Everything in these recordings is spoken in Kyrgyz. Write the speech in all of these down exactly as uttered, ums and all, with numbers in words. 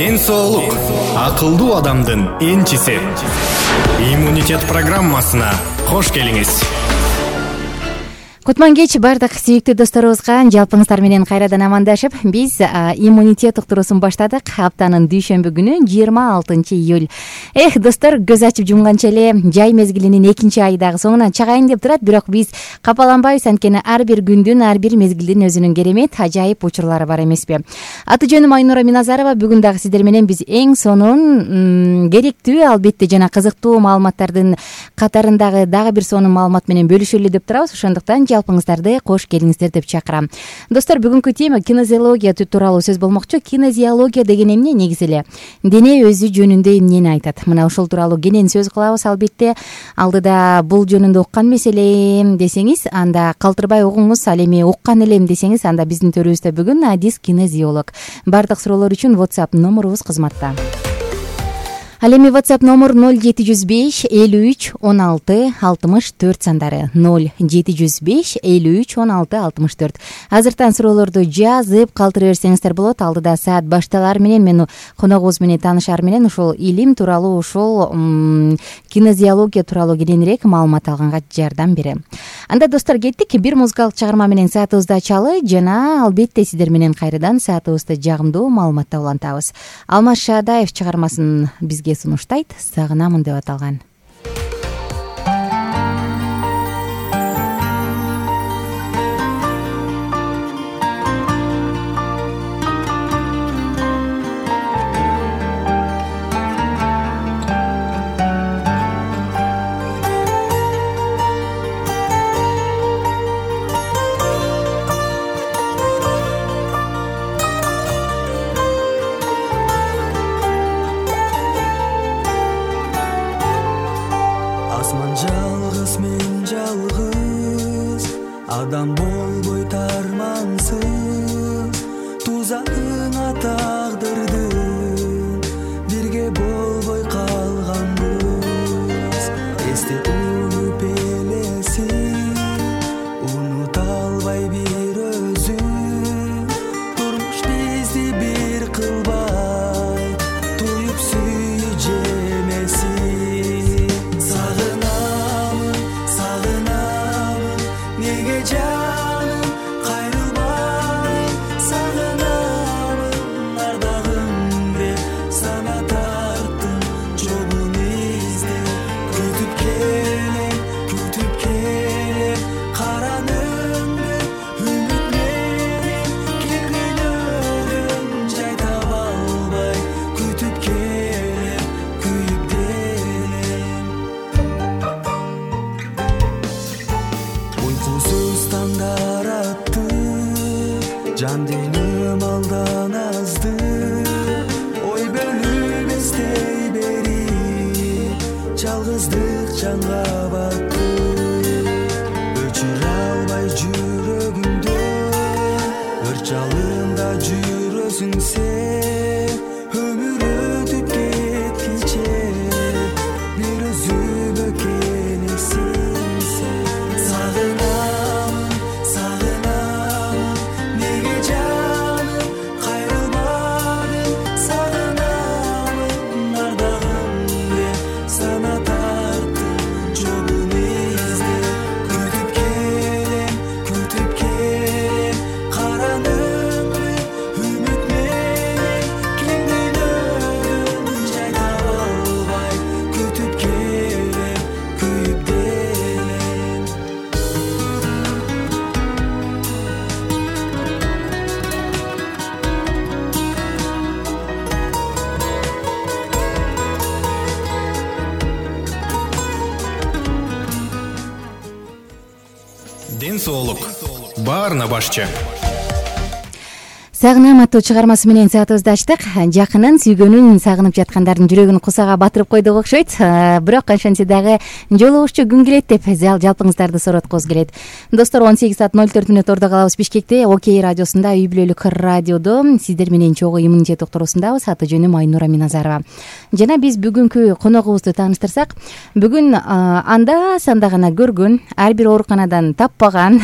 ден соолук акылдуу адамдын энчиси. Иммунитет программасына кош келиңиз. Кутман кеч бардык сүйүктүү досторубузга жалпыңыздар менен кайрадан амандашып, биз иммунитет уктуруусун баштадык. Аптанын дүйшөмбү күнү жыйырма алтынчы июль. Эх, достор, көз ачып жумганча эле жай мезгилинин экинчи айы дагы соңуна чагайын деп турат, бирок биз капаланбайбыз, анткени ар бир күндүн, ар бир мезгилдин өзүнүн керемет, ажайып учурлары бар эмеспи? Аты жөнүм Айнура Миназарова. Бүгүн дагы сиздер менен биз эң сонун, керектүү, албетте жана кызыктуу маалыматтардын катарындагы дагы бир сонун маалымат менен бөлүшөлү деп турабыз. Ошондуктан жалпыңыздарды кош келиңиздер деп чакырам. Достор, бүгүнкү тема кинезиология тууралуу сөз болмокчу. Кинезиология деген эмне? Негизи эле дене өзү жөнүндө эмнени айтат? Мына ошол тууралуу кенен сөз кылабыз. Албетте алдыда бул жөнүндө уккан эмес элем десеңиз, анда калтырбай угуңуз. Ал эми уккан элем десеңиз, анда биздин төрүбүздө бүгүн Адис кинезиолог. Бардык суроолор үчүн WhatsApp номурубуз кызматта. Ал эми WhatsApp номер ноль жети жүз беш элүү үч он алты алтымыш төрт сандары. ноль жети жүз беш элүү үч он алты алтымыш төрт. Азыртан суроолорду жазып калтыра берсеңиздер болот. Алдыда саат башталар менен мен коногубуз менен таанышаар менен ушул илим тууралуу, ушул кинезиология тууралуу кененирээк маалымат алганга жардам берем. Анда достор, кеттик. Бир музыкалык чыгарма менен саатыбызды ачалы жана албетте сиздер менен кайрадан саатыбызды жагымдуу маалыматта улантабыз. Алмаз Шаадаев чыгармасын бизге сунуштайт. Сагынамын деп аталган. Адам болбой тармансыз, тузагыңа тагдырдың, бирге болбой калганбыз. Эсте унуп элесин, унута албай бир өзүң, турмуш бизди бир кылбай, туюп сүйүү жемесин. Сагынамын, сагынамын, неге жаным кайрылбай, сагынамын ардагым деп сана тарттым жолун издеп. Күтүп келем, күтүп келем караныңды, үмүт менен келгилөрүм жай таба албай, күтүп келем, күйүп делем. Уйкусуз тандар атты, жан деним алдан азды, ой бөлүп эстей бери, жалгыздык жанга батты. Өчүрө албай жүрөгүңдө, өр жалында жүрөсүң сен, өмүр өтүп кеткиче, бир өзүмө келесиң сен. Сагынамын, сагынамын, неге жаным кайрылбадың, сагынамын ардагым деп сана тарттым жолун издеп. Күтүп келем, күтүп келем караныңды, үмүт менен келгилөрүм жай таба албай, күтүп келем, күйүп делем. Ден соолук баарына башчы. Сагынам аттуу чыгармасы менен саатыбызды ачтык. Жакынын, сүйгөнүн сагынып жаткандардын жүрөгүн кусага батырып койдук окшойт. Бирок ошентсе дагы жолугушчу күн келет деп жалпыңыздарды сороткубуз келет. Достор, он сегиз саат ноль төрт мүнөт ордо калабыз Бишкекте. Окей радиосунда, үй бүлөлүк радиодо сиздер менен чогуу иммунитет уктуруусундабыз. Аты жөнүм Айнура Миназарова. Жана биз бүгүнкү коногубузду тааныштырсак, бүгүн анда санда гана көргөн, ар бир ооруканадан таппаган,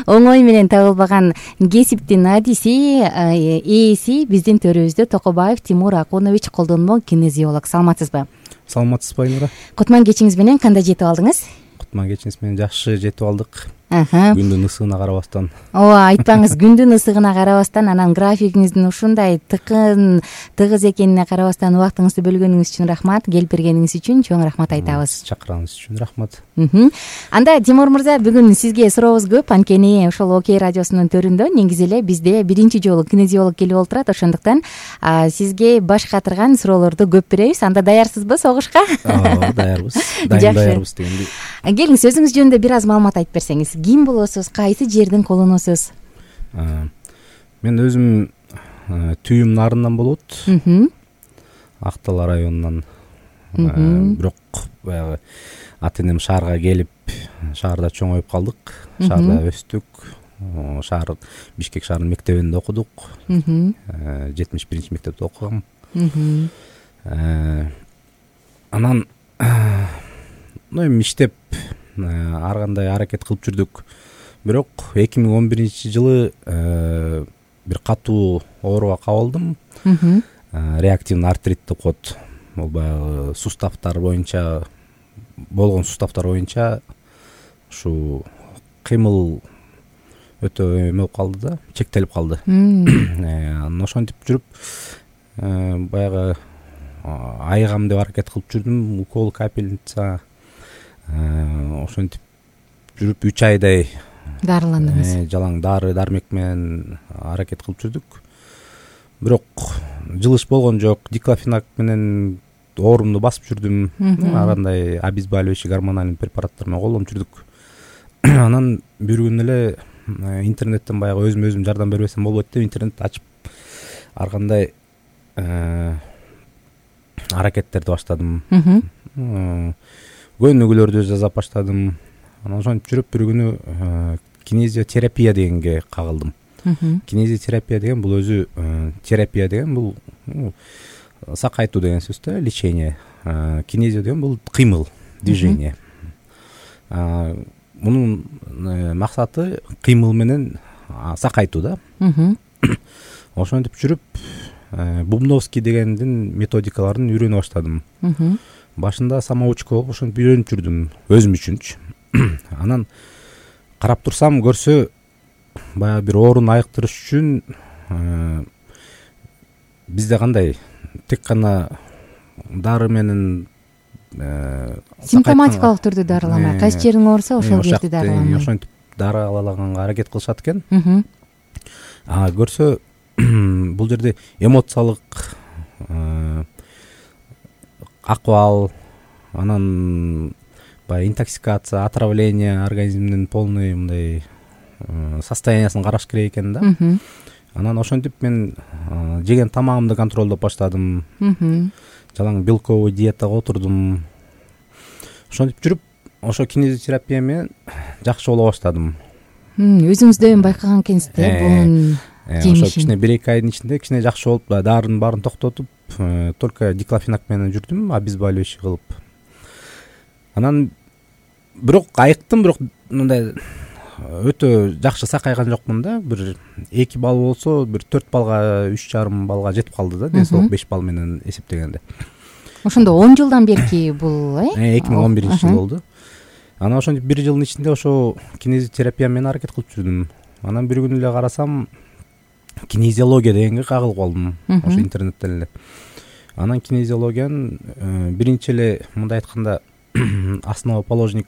оңой менен табылбаган кесиптин адиси, ээси биздин төрүбүздө Токобаев Тимур Акунович колдонмо кинезиолог. Саламатсызбы? Саламатсызбы Айнура? Кутман кечиңиз менен кандай жетип алдыңыз? Кутман кечиңиз менен жакшы жетип алдык. Аха. Күндүн ысыгына карабастан. Ооба, айтпаңыз, күндүн ысыгына карабастан, анан графигиңиздин ушундай тыкын, тыгыз экенине карабастан убактыңызды бөлгөнүңүз үчүн рахмат. Келип бергениңиз үчүн чоң рахмат айтабыз. Чакырганыңыз үчүн рахмат. Анда Тимур мырза, бүгүн сизге сурообуз көп. Анткени ошол Окей радиосунун төрүндө негизи эле бизде биринчи жолу кинезиолог келип олтурат. Ошондуктан сизге баш катырган суроолорду көп беребиз. Анда даярсызбы согушка? Ооба, даярбыз. Дайым даярбыз дегендей. Келиңиз, өзүңүз жөнүндө бир аз маалымат айтып берсеңиз. Ким болосуз? Кайсы жердин колунусуз? Мен өзүм Түйүм нарынан болот. Ак-Дала районунан. Бирок баягы ата энем шаарга келип, шаарда чоңоюп калдык. Шаарда өстүк. Шаар Бишкек шаарынын мектебинде окудук. жетимиш биринчи мектепте окугам. Анан эми иштеп ар кандай аракет кылып жүрдүк. Бирок эки миң он биринчи жылы бир катуу ооруга кабылдым. Реактивный артрит деп коет. Бул баягы суставтар боюнча болгон суставтар боюнча ушу кыймыл өтө эме болуп калды да, чектелип калды. Анан ошентип жүрүп баягы айыгам деп аракет кылып жүрдүм. Укол, капельница. Ошентип жүрүп үч айдай дарыландыңыз. Жалаң дары дармек менен аракет кылып жүрдүк. Бирок жылыш болгон жок. Диклофенак менен оорумду басып жүрдүм. Ар кандай обезболивающий гормональный препараттар менен колдонуп жүрдүк. Анан бир күнү эле интернеттен баягы өзүм өзүм жардам бербесем болбойт деп интернет ачып ар кандай аракеттерди баштадым. Көнүгүүлөрдү жасап баштадым. Анан ошентип жүрүп бир күнү кинезиотерапия дегенге кагылдым. Кинезиотерапия деген бул өзү терапия деген бул сакайтуу деген сөз да, лечение. Кинезио деген бул кыймыл, движение. Мунун максаты кыймыл менен сакайтуу да. Ошентип жүрүп Бубновский дегендин методикаларын үйрөнө баштадым. Башында самоучка болуп ошентип үйрөнүп жүрдүм өзүм үчүнчү. Анан карап турсам көрсө баягы бир ооруну айыктырыш үчүн бизде кандай тек гана дары менен симптоматикалык түрдө дарыламай, кайсы жериң ооруса ошол жерди дарыламай ошентип дарылаганга аракет кылышат экен. А көрсө бул жерде эмоциялык акыбал, анан баягы интоксикация, отравление, организмдин полный мындай состояниясын караш керек экен да. Анан ошентип мен жеген тамагымды контролдоп баштадым. Жалаң белковый диетага отурдум. Ошентип жүрүп, ошо кинезиотерапия менен жакшы боло баштадым. Өзүңүздө эми байкаган экенсиз да бунун жемишин. Ошо кичине бир эки айдын ичинде кичине жакшы болуп, дарынын баарын токтотуп, только диклофенак менен жүрдүм, обезболивающий кылып. Анан бирок айыктым, бирок мындай өтө жакшы сакайган жокмун да. Бир эки балл болсо, бир төрт балга, үч жарым балга жетип калды да, ден соолук беш балл менен эсептегенде. Ошондо он жылдан берки бул, э? эки миң он биринчи жыл болду. Анан ошентип бир жылдын ичинде ошо кинезиотерапия менен аракет кылып жүрдүм. Анан бир күнү эле карасам кинезиология дегенге кагылып калдым, ошо интернеттен эле. Анан кинезиологиянын биринчи эле мындай айтканда основоположник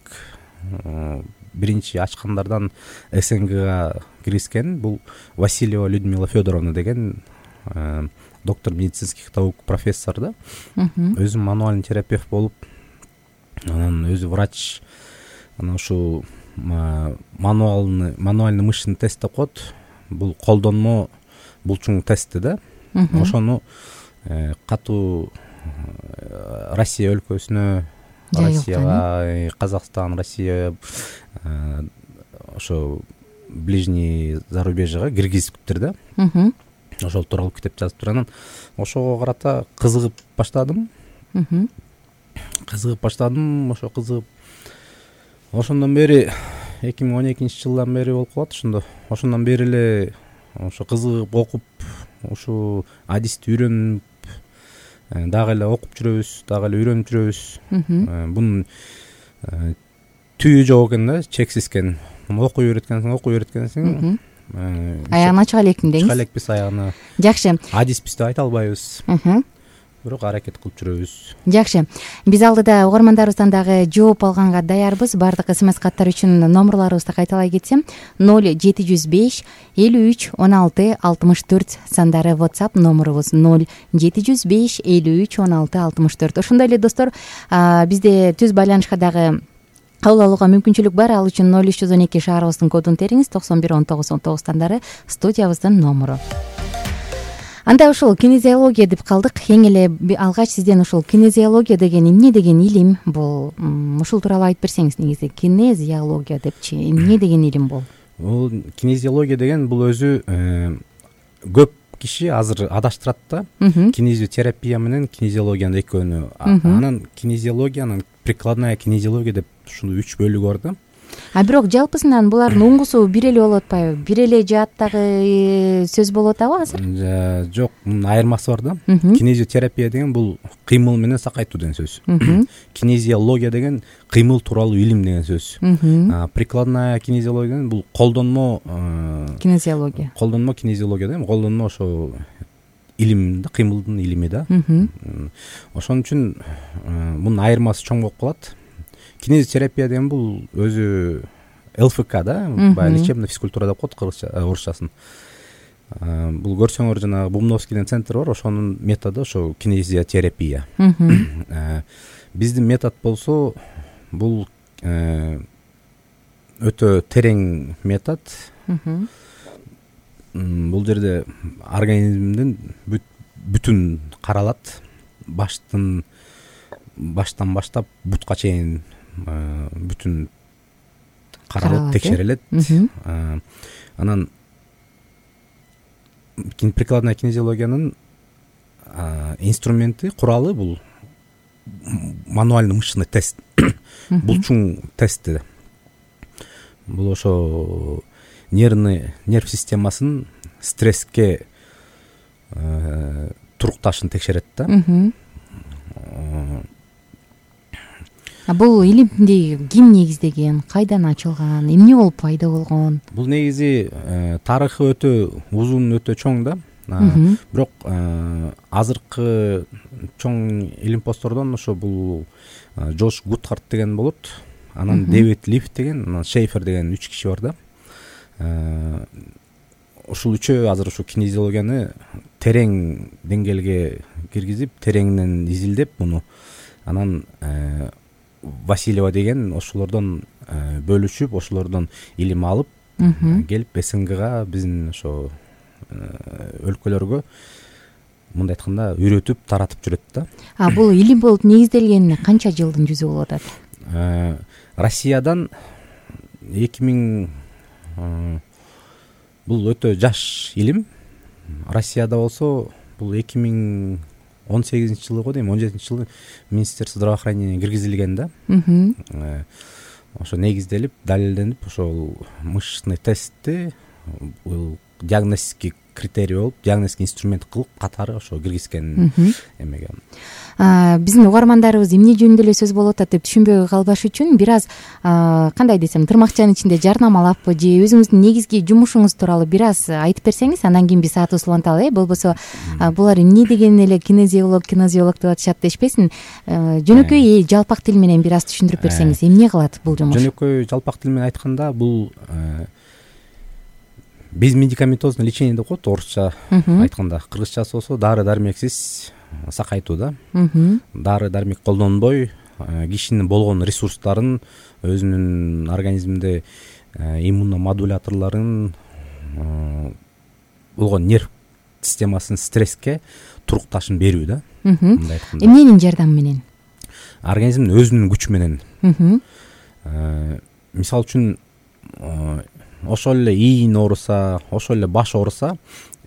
биринчи ачкандардан СНГга киргизген бул Васильева Людмила Федоровна деген доктор медицинских наук, профессор да. Өзү мануальный терапевт болуп, анан өзү врач. Анан ушу мануальный мануальный мышечный тест деп коет. Бул колдонмо булчуң тести да. Ошону катуу Россия өлкөсүнө, Россияга, Казакстан, Россия, ошо ближний зарубежьега киргизиптир да. Ошол тууралуу китеп жазыптыр. Анан ошого карата кызыгып баштадым. Кызыгып баштадым, ошо кызыгып. Ошондон бери эки миң он экинчи жылдан бери болуп калат ошондо. Ошондон бери эле ошо кызыгып окуп ушул адисти үйрөнүп дагы эле окуп жүрөбүз, дагы эле үйрөнүп жүрөбүз. Бунун түбү жок экен да, чексиз экен. Окуй берет экенсиң, окуй берет экенсиң. Аягына чыга элекмин деңиз. Чыга элекпиз аягына. Жакшы. Адиспиз деп айта албайбыз. Бирок аракет кылып жүрөбүз. Жакшы. Биз алдыда угармандарыбыздан дагы жооп алганга даярбыз. Баардык смс каттар үчүн номерларыбызды кайталай кетсем: ноль жети жүз беш элүү үч он алты алтымыш төрт сандары WhatsApp номерубуз. ноль жети жүз беш элүү үч он алты алтымыш төрт. Ошондой эле достор, бизде түз байланышка дагы кабыл алууга мүмкүнчүлүк бар. Ал үчүн ноль үч жүз он эки шаарыбыздын кодун териңиз. токсон бир он тогуз он тогуз сандары студиябыздын номеру. Анда ушул кинезиология деп калдык. Эң эле алгач сизден ушул кинезиология деген эмне деген илим бул? Ушул тууралуу айтып берсеңиз. Негизи кинезиология депчи эмне деген илим бул? Бул кинезиология деген бул өзү көп киши азыр адаштырат да. Кинезиотерапия менен кинезиологиянын экөөнү. Анан кинезиологиянын прикладная кинезиология деп ушул үч бөлүгү бар да. А бирок жалпысынан булардын уңгусу бир эле болуп атпайбы? Бир эле жааттагы сөз болуп атабы азыр? Жок, мунун айырмасы бар да. Кинезиотерапия деген бул кыймыл менен сакайтуу деген сөз. Кинезиология деген кыймыл тууралуу илим деген сөз. Прикладная кинезиология деген бул колдонмо кинезиология. Колдонмо кинезиология да, колдонмо ошо илим да, кыймылдын илими да. Ошон үчүн мунун айырмасы чоң болуп калат. Кинезиотерапия деген бул өзү эл эф ка да, баягы лечебная физкультура деп коет орусчасын. Бул көрсөңөр жанагы Бумновский деген центр бар, ошонун методу ошо кинезиотерапия. Биздин метод болсо бул өтө терең метод. Бул жерде организмдин бүтүн каралат, баштан баштан баштап бутка чейин бүтүн каралып текшерилет. Анан прикладная кинезиологиянын инструменти, куралы бул мануальный мышечный тест, булчуң тести. Бул ошо нервный нерв системасын стресске турукташын текшерет да. А бул илимди ким негиздеген, кайдан ачылган, эмне болуп пайда болгон? Бул негизи тарыхы өтө узун, өтө чоң да. Бирок азыркы чоң илимпоздордон ошо бул Джош Гутхард деген болот, анан Дэвид Лифт деген, анан Шейфер деген үч киши бар да. Ушул үчөө азыр ушу кинезиологияны терең деңгээлге киргизип, тереңинен изилдеп муну, анан Васильева деген ошолордон бөлүшүп, ошолордон илим алып келип СНГга, биздин ошо өлкөлөргө мындай айтканда үйрөтүп, таратып жүрөт да. А бул илим болуп негизделгенине канча жылдын жүзү болуп атат? Россиядан эки миң бул өтө жаш илим. Россияда болсо бул эки миң он сегизинчи жылы го дейм, он жетинчи жылы Министерство здравоохранения киргизилген да. Ошо негизделип, далилденип, ошол мышечный тестти диагностический критерий болуп, диагностический инструмент кылып катары ошо киргизген эмеге. Биздин угармандарыбыз эмне жөнүндө эле сөз болуп атат деп түшүнбөй калбаш үчүн бир аз кандай десем, тырмакчанын ичинде жарнамалаппы же өзүңүздүн негизги жумушуңуз тууралуу бир аз айтып берсеңиз, андан кийин биз саатыбызды уланталы. Э, болбосо булар эмне деген эле кинезиолог, кинезиолог деп атышат дешпесин. Жөнөкөй жалпак тил менен бир аз түшүндүрүп берсеңиз, эмне кылат бул жумуш? Жөнөкөй жалпак тил менен айтканда бул безмедикаментозное лечение деп коет орусча айтканда. Кыргызчасы болсо дары дармексиз сакайтуу да. Дары дармек колдонбой кишинин болгон ресурстарын, өзүнүн организминде иммуномодуляторлорун, болгон нерв системасын стресске турукташын берүү да. Эмненин жардамы менен? Организмдин өзүнүн күчү менен. Мисалы үчүн ошол эле ийин ооруса, ошол эле баш ооруса,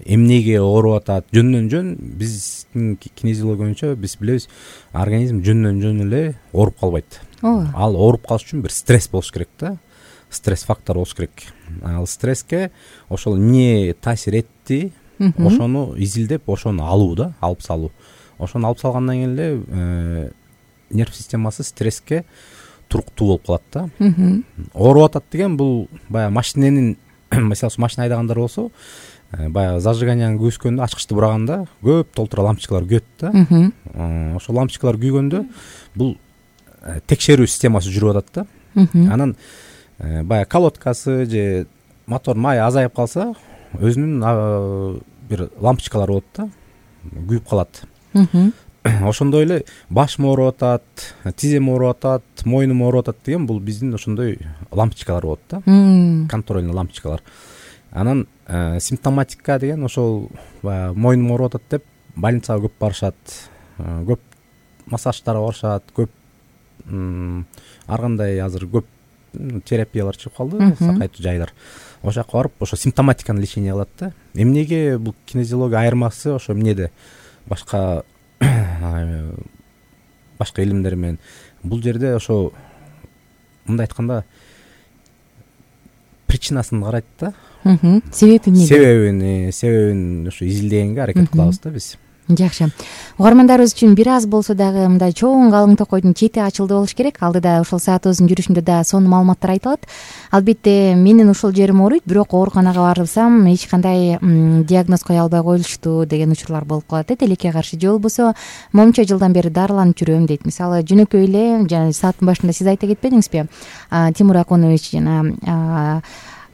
эмнеге ооруп атат, жөндөн жөн биздин кинезиология боюнча биз билебиз, организм жөндөн жөн эле ооруп калбайт. Ал ооруп калыш үчүн бир стресс болуш керек да. стресс фактору болуш керек. Ал стресске ошол эмне таасир этти, ошону изилдеп, ошону алуу да, алып салуу. Ошону алып салгандан кийин эле нерв системасы стресске туруктуу болуп калат да. Ооруп атат деген бул баягы машиненин, мисалы машина айдагандар болсо, баягы зажиганияны күүскөндө, ачкычты бураганда көп толтура лампочкалар күйөт да. Ошол лампочкалар күйгөндө бул текшерүү системасы жүрүп атат да. Анан баягы колодкасы же мотор май азайып калса, өзүнүн бир лампочкалары болот да, күйүп калат. Ошондой эле башым ооруп атат, тизем ооруп атат, мойнум ооруп атат деген бул биздин ошондой лампочкалар болот да, контрольный лампочкалар. Анан симптоматика деген ошол баягы мойнум ооруп атат деп больницага көп барышат, көп массаждарга барышат, көп ар кандай азыр көп терапиялар чыгып калды, сакайтуу жайлар. Ошол жака барып, ошо симптоматиканы лечение кылат да. Эмнеге бул кинезиология айырмасы ошо эмнеде? Башка башка илимдер менен бул жерде ошо мындай айтканда причинасын карайт да. Себеби эмне? Себебин, себебин ошо изилдегенге аракет кылабыз да биз. Жакшы. Угармандарыбыз үчүн бир аз болсо дагы мындай чоң калың токойдун чети ачылды болуш керек. Алдыда ошол саатыбыздын жүрүшүндө да сонун маалыматтар айтылат. Албетте менин ушул жерим ооруйт, бирок ооруканага барсам эч кандай диагноз кое албай коюлушту деген учурлар болуп калат э, тилекке каршы. Же болбосо момунча жылдан бери дарыланып жүрөм дейт. Мисалы жөнөкөй эле жана сааттын башында сиз айта кетпедиңизби? Тимур Акунович жана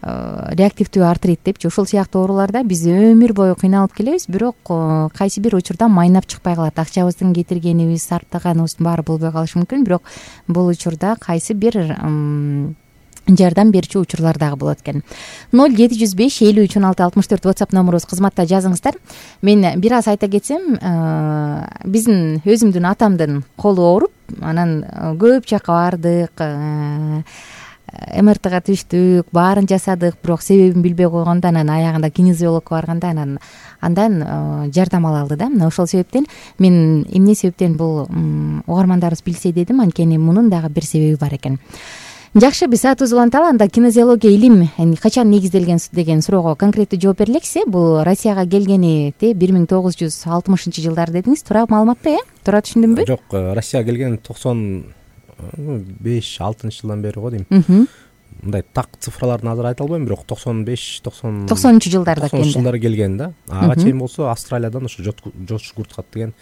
реактивдүү артрит депчи, ошол сыяктуу ооруларда биз өмүр бою кыйналып келебиз, бирок кайсы бир учурда майнап чыкпай калат. Акчабыздын кетиргенибиз, сарптаганыбыздын баары болбой калышы мүмкүн, бирок бул учурда кайсы бир жардам берүүчү учурлар дагы болот экен. ноль жети жүз беш элүү үч он алты алтымыш төрт WhatsApp номурубуз, кызматта жазыңыздар. Мен бир аз айта кетсем, биздин өзүмдүн атамдын колу ооруп, анан көп жака бардык, эм эр тга түштүк, баарын жасадык, бирок себебин билбей койгондо анан аягында кинезиологко барганда анан андан жардам ала алды да. Мына ошол себептен мен эмне себептен бул угармандарыбыз билсе дедим, анткени мунун дагы бир себеби бар экен. Жакшы, биз саатыбызды уланталы. Анда кинезиология илим качан негизделген деген суроого конкреттүү жооп береликсе, бул Россияга келгени бир миң тогуз жүз алтымышынчы жылдары дедиңиз. Туура маалыматпы э? Туура түшүндүмбү? Жок, Россияга келген токсон беш алтынчы жылдан бери го дейм. Мындай так цифраларын азыр айта албайм, бирок токсон беш токсон токсонунчу жылдарда келген. токсонунчу жылдары келген да. Ага чейин болсо Австралиядан ошо Джордж Гуртхат деген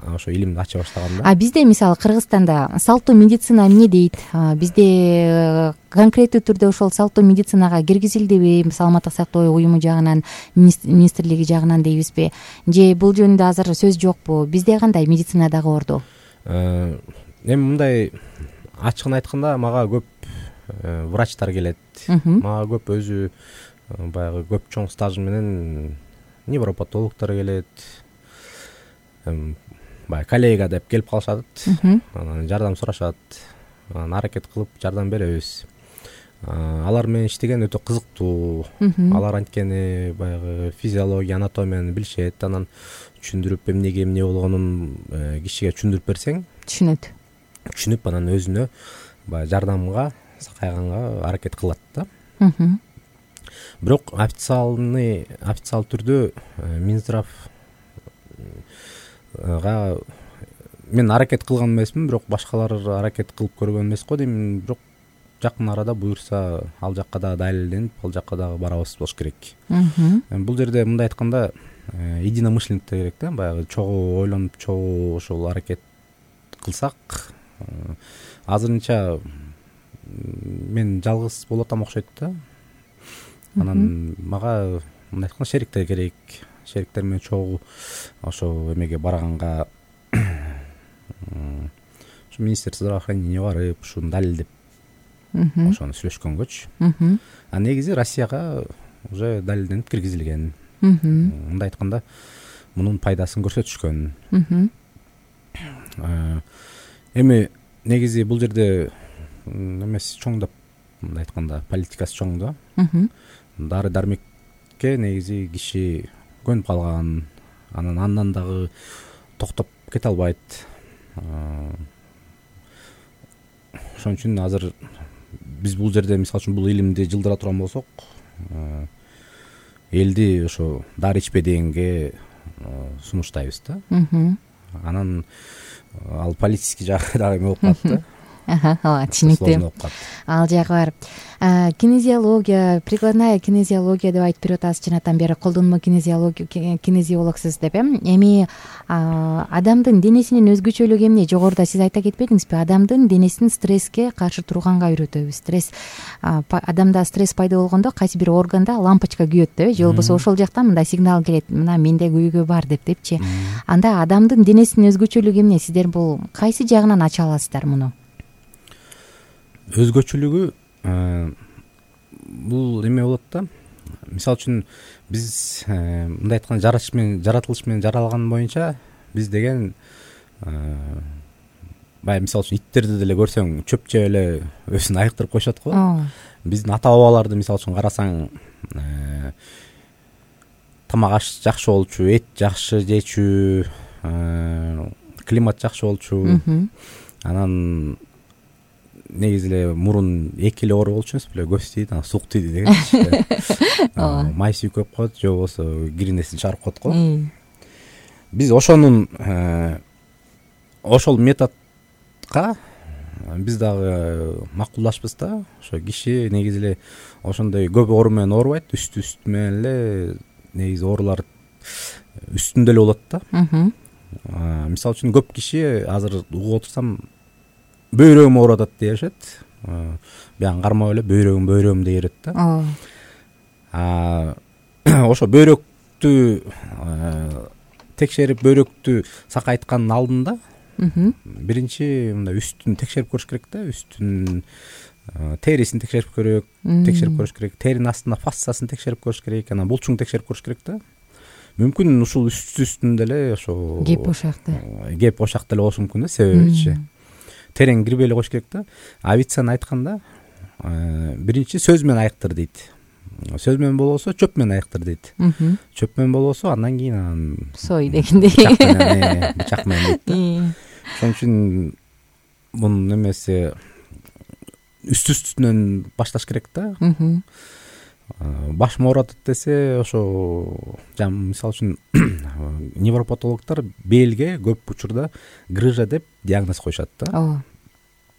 ошо илимди ача баштаган да. А бизде мисалы Кыргызстанда салттуу медицина эмне дейт? Бизде конкреттүү түрдө ошол салттуу медицинага киргизилдиби? Саламаттык сактоо уюму жагынан, министрлиги жагынан дейбизби? Же бул жөнүндө азыр сөз жокпу? Бизде кандай медицина дагы орду? Эми мындай ачыгын айтканда мага көп врачтар келет. Мага көп өзү баягы көп чоң стажы менен невропатологдор келет. Баягы коллега деп келип калышат, анан жардам сурашат, анан аракет кылып жардам беребиз. Алар менен иштеген өтө кызыктуу. Алар анткени баягы физиология, анатомияны билишет, анан түшүндүрүп эмнеге эмне болгонун кишиге түшүндүрүп берсең, түшүнөт. Түшүнүп анан өзүнө баягы жардамга, сакайганга аракет кылат да. Бирок официальный официал түрдө Минздравга мен аракет кылган эмесмин, бирок башкалар аракет кылып көргөн эмес го дейм. Бирок жакын арада буюрса ал жакка дагы далилденип, ал жакка дагы барабыз болуш керек. Бул жерде мындай айтканда единомышленниктер керек да, баягы чогуу ойлонуп, чогуу ошол аракет кылсак. Азырынча мен жалгыз болуп атам окшойт да. Анан мага мындай айтканда шериктер керек. Шериктер менен чогуу ошо эмеге барганга ушу министерство здравоохранения барып, ушуну далилдеп ошону сүйлөшкөнгөчү. А негизи Россияга уже далилденип киргизилген. Мындай айтканда мунун пайдасын көрсөтүшкөн. Эми негизи бул жерде эмеси чоң деп мындай айтканда политикасы чоң да. Дары дармекке негизи киши көнүп калган, анан андан дагы токтоп кете албайт. Ошон үчүн азыр биз бул жерде мисалы үчүн бул илимди жылдыра турган болсок, элди ошо дары ичпе дегенге сунуштайбыз да. Анан ал политический жагы дагы эме болуп калат да. ооба, түшүнүктүү. Ал жагы бар. Кинезиология, прикладная кинезиология деп айтып берип атасыз, чынатан бери колдонмо кинезиология, кинезиологсуз деп. Эми адамдын денесинин өзгөчөлүгү эмне? Жогоруда сиз айта кетпедиңизби? Адамдын денесин стресске каршы турганга үйрөтөбүз. Стресс, адамда стресс пайда болгондо кайсы бир органда лампочка күйөт деп, же болбосо ошол жактан мындай сигнал келет, мына менде күйгө бар деп депчи. Анда адамдын денесинин өзгөчөлүгү эмне? Сиздер бул кайсы жагынан ача аласыздар муну? Өзгөчөлүгү бул эме болот да. Мисалы үчүн биз мындай айтканда жаратылыш менен жаратылыш менен жаралган боюнча биз деген баягы мисалы үчүн иттерди деле көрсөң чөп жеп эле өзүн айыктырып коюшат го. Биздин ата бабаларды мисалы үчүн карасаң, тамак аш жакшы болчу, эт жакшы жечү, климат жакшы болчу. Анан негизи эле мурун эки эле оору болчу эмес беле, көз тийди, анан сук тийди дегенчи. Май сүйкөп коет, же болбосо киринесин чыгарып коет го. Биз ошонун ошол методко биз дагы макулдашпыз да. Ошо киши негизи эле ошондой көп оору менен оорубайт, үстү үстү менен эле негизи оорулар үстүндө эле болот да. Мисалы үчүн көп киши азыр угуп отурсам бөйрөгүм ооруп атат дешет. Баягы кармап эле бөйрөгүм бөйрөгүм дей берет да. Ошо бөйрөктү текшерип, бөйрөктү сакайткандын алдында биринчи мындай үстүн текшерип көрүш керек да. Үстүн терисин текшерип көрөк, текшерип көрүш керек. Теринин астында фасциясын текшерип көрүш керек, анан булчуңду текшерип көрүш керек да. Мүмкүн ушул үстү үстүндө эле ошо кеп ошакты. Кеп ошакта эле болушу мүмкүн да, себебичи. Терең кирбей эле коюш керек да. Авиценна айтканда, биринчи сөз менен айыктыр дейт. Сөз менен болбосо чөп менен айыктыр дейт. Чөп менен болбосо андан кийин анан сой дегендей. Бычак менен дейт да. Ошон үчүн мунун немеси үстү үстүнөн башташ керек да. Башым ооруп атат десе, ошо жам мисалы үчүн невропатологдор белге көп учурда грыжа деп диагноз коюшат да.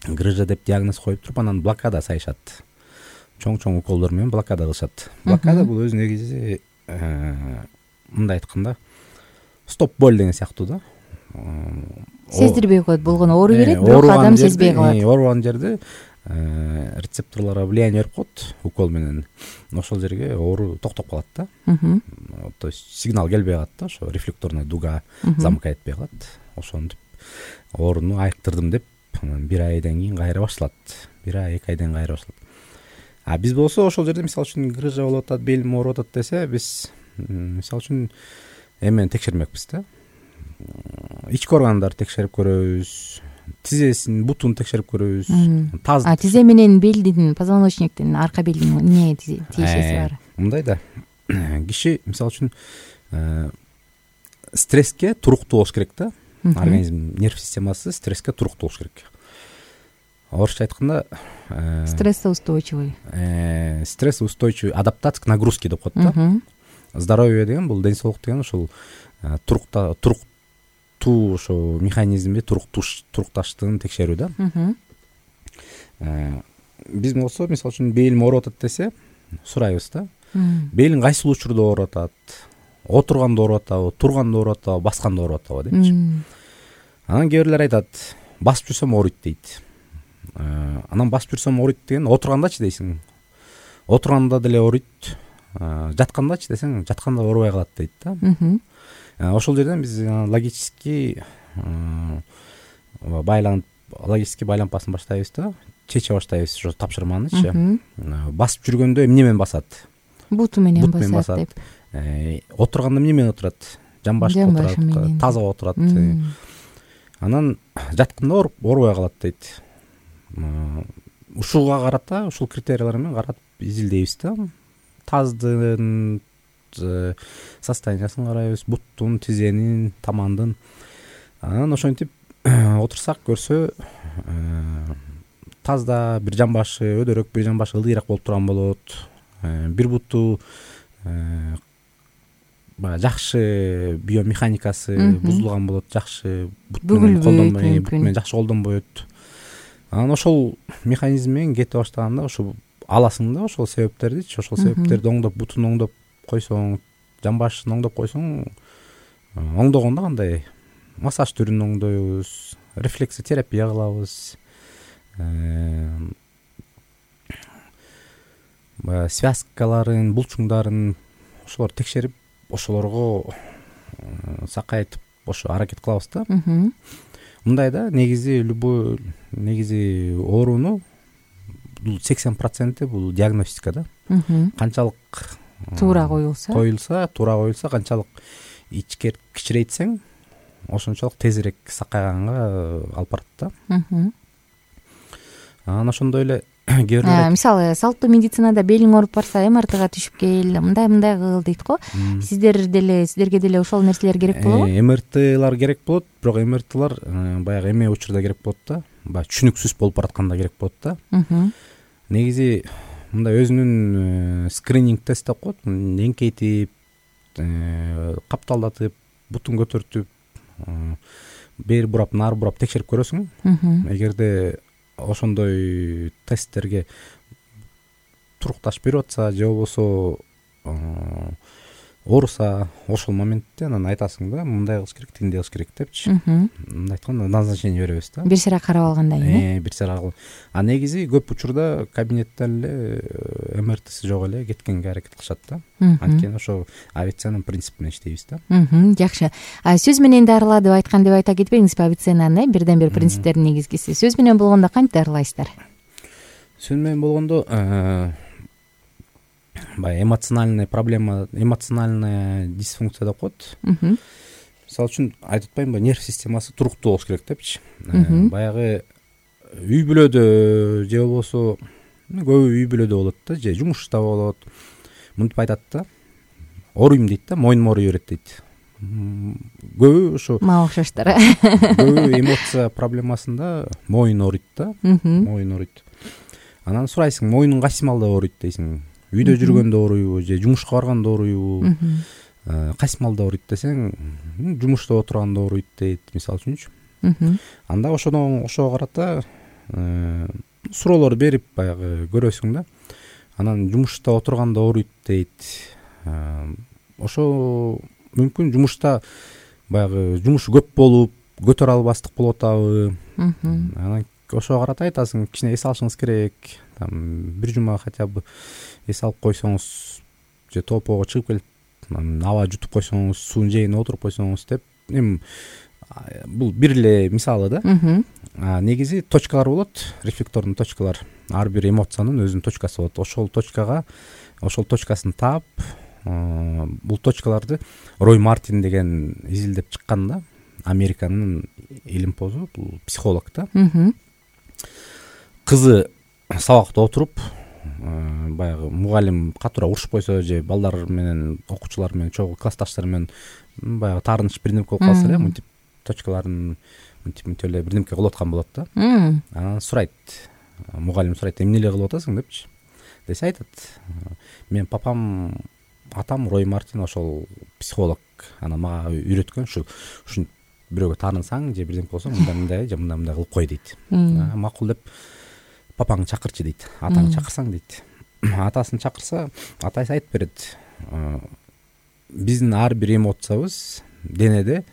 Грыжа деп диагноз коюп туруп, анан блокада сайышат. Чоң-чоң уколдор менен блокада кылышат. Блокада бул өзү негизи мындай айтканда стоп боль деген сыяктуу да. Сездирбей коет, болгону оору берет, бирок адам сезбей калат. Оорубаган жерде рецепторлорго влияние берип коет укол менен. Ошол жерге оору токтоп калат да. То есть сигнал келбей калат да, ошо рефлекторная дуга замка этпей калат. Ошентип ооруну айыктырдым деп бир айдан кийин кайра башталат. Бир ай, эки айдан кайра башталат. А биз болсо ошол жерде мисалы үчүн грыжа болуп атат, белим ооруп атат десе, биз мисалы үчүн эмени текшермекпиз да. Ички органдарды текшерип көрөбүз, тизесин, бутун текшерип көрөбүз. А тизе менен белдин, позвоночниктин, арка белдин эмне тиешеси бар? Мындай да. Киши мисалы үчүн стресске туруктуу болуш керек да. Организм, нерв системасы стресске туруктуу болуш керек. Орусча айтканда стрессоустойчивый. Стрессоустойчивый адаптация к нагрузке деп коет да. Здоровье деген бул ден соолук деген ошол турукта туруктуу ошо механизмди турукташтыгын текшерүү да. Биз болсо мисалы үчүн белим ооруп атат десе, сурайбыз да. Белиң кайсыл учурда ооруп атат? Отурганда ооруп атабы, турганда ооруп атабы, басканда ооруп атабы депчи. Анан кээ бирлер айтат, басып жүрсөм ооруйт дейт. Анан басып жүрсөм ооруйт деген отургандачы дейсиң. Отурганда деле ооруйт. Жаткандачы десең, жатканда оорубай калат дейт да. Ошол жерден биз логический байланып, логический байлампасын баштайбыз да. Чече баштайбыз ошо тапшырманычы. Басып жүргөндө эмне менен басат? Буту менен басат деп. Отурганда эмне менен отурат? Жамбашта отурат, таза отурат. Анан жатканда оорубай калат дейт. Ушуга карата, ушул критериялар менен карап изилдейбиз да. Таздын состояниясын карайбыз, буттун, тизенин, тамандын. Анан ошентип отурсак көрсө, тазда, бир жамбашы өдөрөөк, бир жамбашы ылдыйраак болуп турган болот. Бир буту баягы жакшы биомеханикасы бузулган болот, жакшы бут менен колдонбой, бут менен жакшы колдонбойт. Анан ошол механизм менен кете баштаганда ошо аласың да ошол себептердичи, ошол себептерди оңдоп, бутун оңдоп койсоң, жамбашын оңдоп койсоң, оңдогондо кандай массаж түрүн оңдойбуз, рефлексотерапия кылабыз, баягы связкаларын, булчуңдарын ошолорду текшерип, ошолорго сакайтып ошо аракет кылабыз да. Мындай да, негизи любой негизи ооруну бул сексен проценти бул диагностика да. Канчалык туура коюлса, коюлса, туура коюлса, канчалык ичкер кичирейтсең, ошончолук тезирээк сакайганга алып барат да. Анан ошондой эле кээ бирлер мисалы салттуу медицинада белиң ооруп барса эм эр тга түшүп кел, мындай мындай кыл дейт го. Сиздер деле сиздерге деле ошол нерселер керек болобу? эм эр тилар керек болот, бирок эм эр тилар баягы эме учурда керек болот да, баягы түшүнүксүз болуп баратканда керек болот да. Негизи мындай өзүнүн скрининг тест деп коет, эңкейтип, капталдатып, бутун көтөртүп, бери бурап, нары бурап текшерип көрөсүң. Эгерде ошондой тесттерге турукташ берип атса же болбосо ооруса, ошол моментте анан айтасың да, мындай кылыш керек, тигиндей кылыш керек депчи. Мындай айтканда назначение беребиз да. Бир сыйра карап алгандан кийин. Э, бир сыйра. А негизи көп учурда кабинеттен эле эм эр тиси жок эле кеткенге аракет кылышат да. Анткени ошо авиациянын принципи менен иштейбиз да. Жакшы. Сөз менен дарыла деп айткан деп айта кетпеңизби, авиациянын бирден бир принциптеринин негизгиси. Сөз менен болгондо кантип дарылайсыздар? Сөз менен болгондо баягы эмоциональный проблема, эмоциональная дисфункция деп коет. Мисалы үчүн айтып атпаймынбы, нерв системасы туруктуу болуш керек депчи. Баягы үй бүлөдө же болбосо көбү үй бүлөдө болот да, же жумушта болот. Мынтип айтат да, ооруйм дейт да, мойнум ооруй берет дейт. Көбү ошо мага окшоштор. Көбү эмоция проблемасында мойун ооруйт да, мойун ооруйт. Анан сурайсың, мойнуң кайсы маалда ооруйт дейсиң. Үйдө жүргөндө ооруйбу же жумушка барганда ооруйбу, кайсы маалда ооруйт десең, жумушта отурганда ооруйт дейт, мисалы үчүнчү. Анда ошондон ошого карата суроолор берип баягы көрөсүң да. Анан жумушта отурганда ооруйт дейт. Ошо мүмкүн жумушта баягы жумуш көп болуп, көтөрө албастык болуп атабы. Анан ошого карата айтасың, кичине эс алышыңыз керек. Там бир жума хотя бы эс алып койсоңуз, же топого чыгып келип, аба жутуп койсоңуз, суунун жээгине отуруп койсоңуз деп. Эми бул бир эле мисалы да. Негизи точкалар болот, рефлектордун точкалар. Ар бир эмоциянын өзүнүн точкасы болот. Ошол точкага, ошол точкасын таап, бул точкаларды Рой Мартин деген изилдеп чыккан да. Американын илимпозу, бул психолог да. Кызы сабакта отуруп, баягы мугалим катуура урушуп койсо же балдар менен, окуучулар менен, чогуу классташтар менен баягы таарыныч бирдемке болуп калса эле, мынтип точкаларын мынтип мынтип эле бирдемке кылып аткан болот да. Анан сурайт, мугалим сурайт, эмне эле кылып атасың депчи. Десе айтат, мен папам, атам Рой Мартин ошол психолог, анан мага үйрөткөн, ушу ушинтип бирөөгө таанысаң же бирдемке болсоң мындай мындай же мындай мындай кылып кой дейт. Макул деп папаңды чакырчы дейт, атаңды чакырсаң дейт. Атасын чакырса, атасы айтып берет. Биздин ар бир эмоциябыз денеде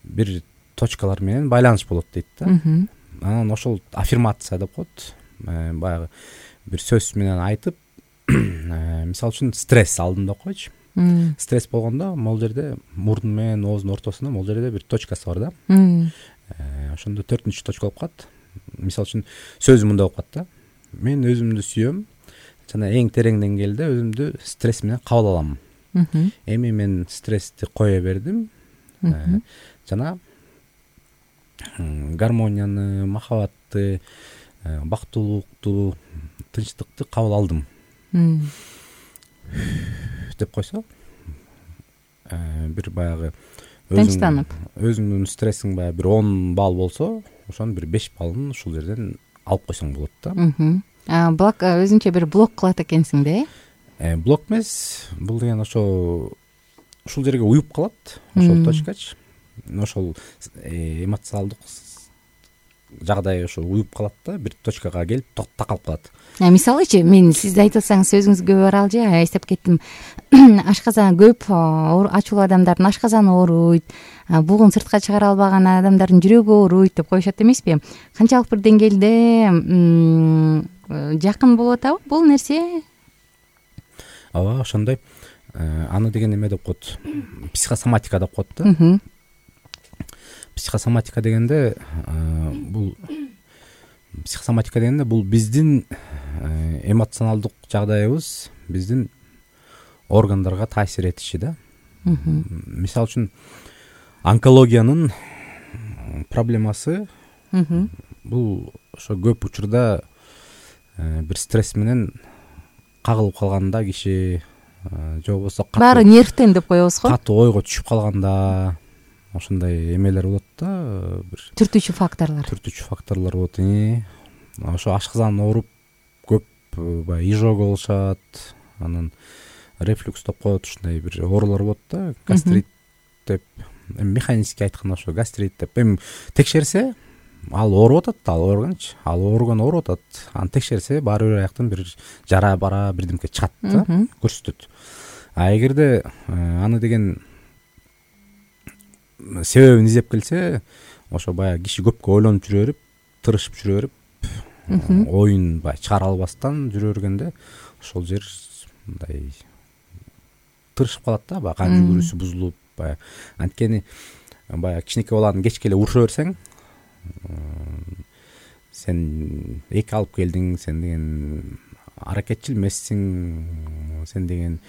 бир точкалар менен байланыш болот дейт да. Анан ошол аффирмация деп коет. Баягы бир сөз менен айтып, мисалы үчүн стресс алдында койчу. Стресс болгондо могул жерде мурдун менен оозунун ортосунда могул жерде бир точкасы бар да. Ошондо төртүнчү точка болуп калат. Мисалы үчүн сөзү мындай болуп калат да. Мен өзүмдү сүйөм, жана эң терең деңгээлде өзүмдү стресс менен кабыл алам. Эми мен стрессти кое бердим. Жана гармонияны, махабатты, бактылуулукту, тынчтыкты кабыл алдым деп койсо, бир баягы тынчтанып, өзүңдүн стрессиң баягы бир он балл болсо, ошонун бир беш баллын ушул жерден алып койсоң болот да. блок өзүңчө бир блок кылат экенсиң да, э блок эмес, бул деген ошо ушул жерге уюп калат, ошол точкачы ошол эмоционалдык жагдай ошо уюп калат да, бир точкага келип такалып калат. Мисалычы, мен сиз айтып атсаңыз сөзүңүзгө бара алжы, эстеп кеттим. Ашказан көп ачуулуу адамдардын ашказаны ооруйт, бугун сыртка чыгара албаган адамдардын жүрөгү ооруйт деп коюшат эмеспи? Канчалык бир деңгээлде жакын болуп атабы бул нерсе? Ооба, ошондой. Аны деген эме деп коет, психосоматика деп коет да. Психосоматика дегенде бул психосоматика дегенде бул биздин эмоционалдык жагдайыбыз биздин органдарга таасир этиши да. Мисалы үчүн онкологиянын проблемасы бул ошо көп учурда бир стресс менен кагылып калганда киши, же болбосо баары нервтен деп коебуз го, катуу ойго түшүп калганда ошондой эмелер болот да, бир түртүүчү факторлор түртүүчү факторлор болот. Ошо ашказан ооруп көп баягы изжога болушат, анан рефлюкс деп коет, ушундай бир оорулар болот да, гастрит деп, эми механически айтканда ошо гастрит деп. Эми текшерсе ал ооруп атат, ал ооруганчы, ал ооруган ооруп атат, аны текшерсе баары бир аяктан бир жара бара бирдемке чыгат да, көрсөтөт. А эгерде аны деген себебин издеп келсе, ошо баягы киши көпкө ойлонуп жүрө берип, тырышып жүрө берип, оюн баягы чыгара албастан жүрө бергенде ошол жер мындай тырышып калат да, баягы кан жүгүрүүсү бузулуп, баягы анткени баягы кичинекей баланы кечке эле уруша берсең, сен эки алып келдиң, сен деген аракетчил эмессиң, сен деген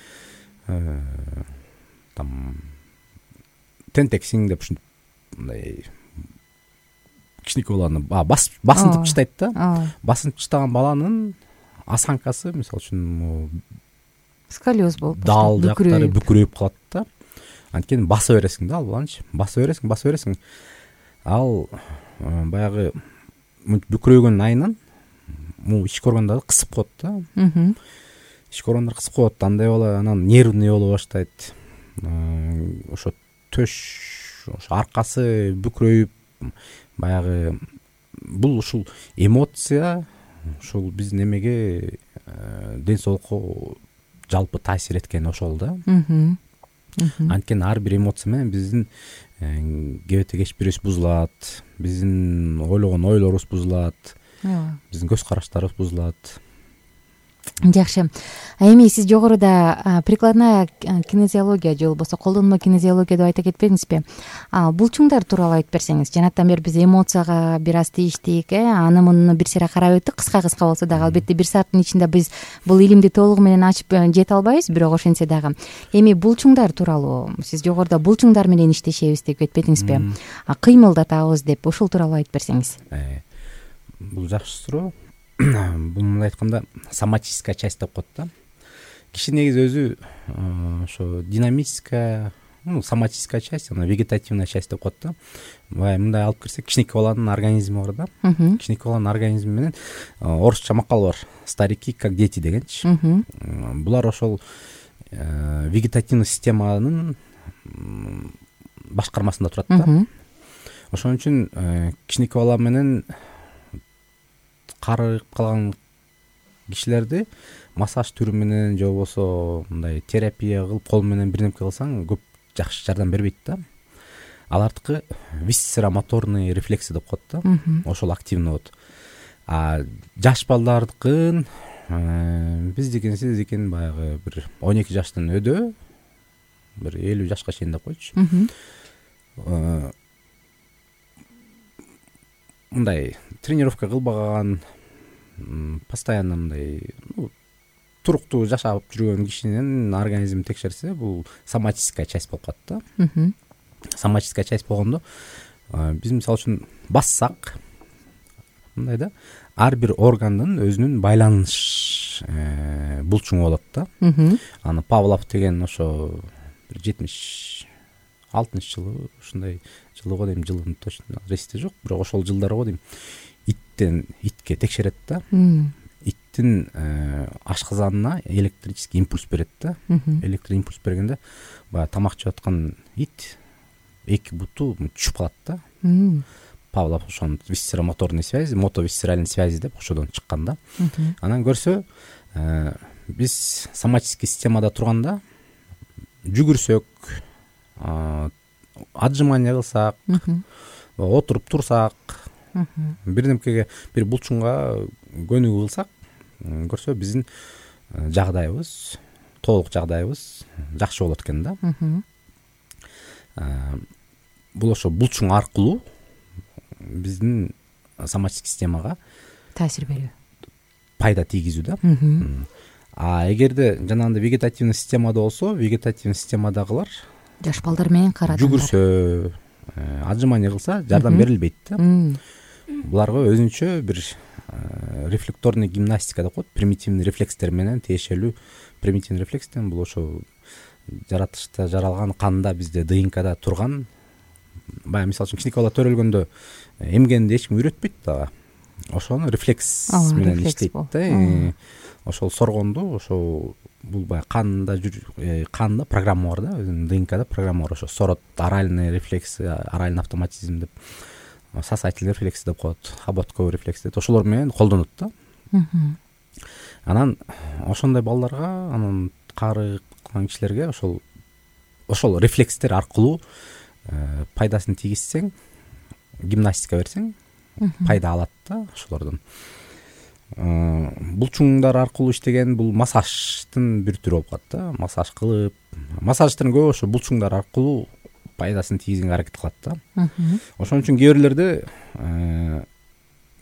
там тентексиң деп ушинтип мындай кичинекей баланы басынтып таштайт да. Басынтып таштаган баланын осанкасы, мисалы үчүн, сколиоз болуп, дал жактары бүкүрөйүп калат да. Анткени баса бересиң да ал баланчы, баса бересиң, баса бересиң. Ал баягы бүкүрөйгөн айынан могу ички органдарды кысып коет да. Ички органдар кысып коет, андай бала анан нервный боло баштайт. Ошо төш, ошо аркасы бүкүрөйүп, баягы бул ушул эмоция ушул биздин эмеге, ден соолукка жалпы таасир эткен ошол да. Анткени ар бир эмоция менен биздин кебете кеч бирибиз бузулат, биздин ойлогон ойлорубуз бузулат, биздин көз караштарыбыз бузулат. Жакшы. Эми сиз жогоруда прикладная кинезиология же болбосо колдонмо кинезиология деп айта кетпедиңизби? Булчуңдар тууралуу айтып берсеңиз. Жанаттан бери биз эмоцияга бир аз тийиштик, э, аны муну бир сыйра карап өттүк, кыска-кыска болсо дагы. Албетте бир сааттын ичинде биз бул илимди толугу менен ачып жете албайбыз, бирок ошентсе дагы. Эми булчуңдар тууралуу сиз жогоруда булчуңдар менен иштешебиз деп кетпедиңизби? Кыймылдатабыз деп, ошол тууралуу айтып берсеңиз. Бул жакшы суроо. Бул мындай айтканда соматическая часть деп коет да. Киши негизи өзү ошо динамическая, ну, соматическая часть, анан вегетативная часть деп коет да. Бай мындай алып кирсек, кичинекей баланын организми бар да. Кичинекей баланын организми менен орусча макал бар. Старики как дети дегенчи. Булар ошол вегетативный системанын башкармасында турат да. Ошон үчүн кичинекей бала менен карыгып калган кишилерди массаж түрү менен же болбосо мындай терапия кылып кол менен бирдемке кылсаң көп жакшы жардам бербейт да. Алардыкы висцеромоторный рефлекси деп коет да. Ошол активный болот. А жаш балдардыкын биздикин сиздикин баягы бир он эки жаштын өдө, бир элүү жашка чейин деп койчу. Мындай тренировка кылбаган, постоянно мындай туруктуу жашап жүргөн кишинин организмин текшерсе, бул соматическая часть болуп калат да. Соматическая часть болгондо биз мисалы үчүн бассак, мындай да, ар бир органдын өзүнүн байланыш булчуңу болот да. Аны Павлов деген ошо бир жетимиш алтынчы жылы, ушундай жылы го дейм, жылын точно эсте жок, бирок ошол жылдары го дейм. Итте иттен итке текшерет да. Иттин ашказанына электрический импульс берет да. Электр импульс бергенде баягы тамак жеп аткан ит эки буту түшүп калат да. Павлов ошону висцеромоторный связи, мотовисцеральный связи деп ошодон чыккан да. Анан көрсө биз соматический системада турганда жүгүрсөк, отжимание кылсак, отуруп турсак, бирдемкеге бир булчуңга көнүгүү кылсак, көрсө биздин жагдайыбыз, толук жагдайыбыз жакшы болот экен да. Бул ошо булчуң аркылуу биздин соматический системага таасир берүү, пайда тийгизүү да. А эгерде жанагындай вегетативный системада болсо, вегетативный системадагылар жаш балдар менен кара жүгүрсө, отжимание кылса жардам берилбейт да. Буларга өзүнчө бир рефлекторный гимнастика деп коет, примитивный рефлекстер менен тиешелүү. Примитивный рефлекстен бул ошо жаратылышта жаралган канда бизде ДНКда турган, баягы мисалы үчүн кичинекей бала төрөлгөндө эмгенди эч ким үйрөтпөйт дагы. Ошону рефлекс менен иштейт да. Ошол соргонду, ошол бул баягы канда канда программа бар да, өзүнүн ДНКда программа бар. Ошо сорот, оральный рефлекс, оральный автоматизм деп, сосательный рефлекс деп коет, хоботковый рефлекс деп, ошолор менен колдонот да. Анан ошондой балдарга, анан кары кылган кишилерге ошол ошол рефлекстер аркылуу пайдасын тийгизсең, гимнастика берсең, пайда алат да ошолордон. Булчуңдар аркылуу иштеген бул массаждын бир түрү болуп калат да. Массаж кылып, массаждын көбү ошо булчуңдар аркылуу пайдасын тийгизгенге аракет кылат да. Ошон үчүн кээ бирлерде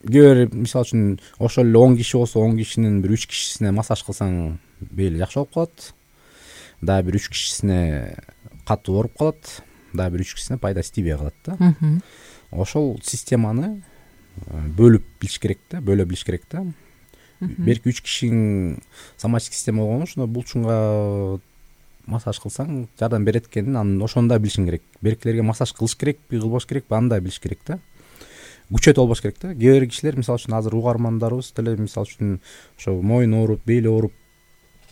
кээ бир мисалы үчүн ошол эле он киши болсо, он кишинин бир үч кишисине массаж кылсаң бели жакшы болуп калат. Дагы бир үч кишисине катуу ооруп калат, дагы бир үч кишисине пайдасы тийбей калат да. Ошол системаны бөлүп билиш керек да, бөлө билиш керек да. Берки үч кишиң соматический система болгону ошондо булчуңга массаж кылсаң жардам берет экенин анан ошондо билишиң керек. Беркилерге массаж кылыш керекпи, кылбаш керекпи, аны да билиш керек да. Күчөтүп албаш керек да. Кээ бир кишилер мисалы үчүн азыр угармандарыбыз деле мисалы үчүн ошо мойун ооруп, бели ооруп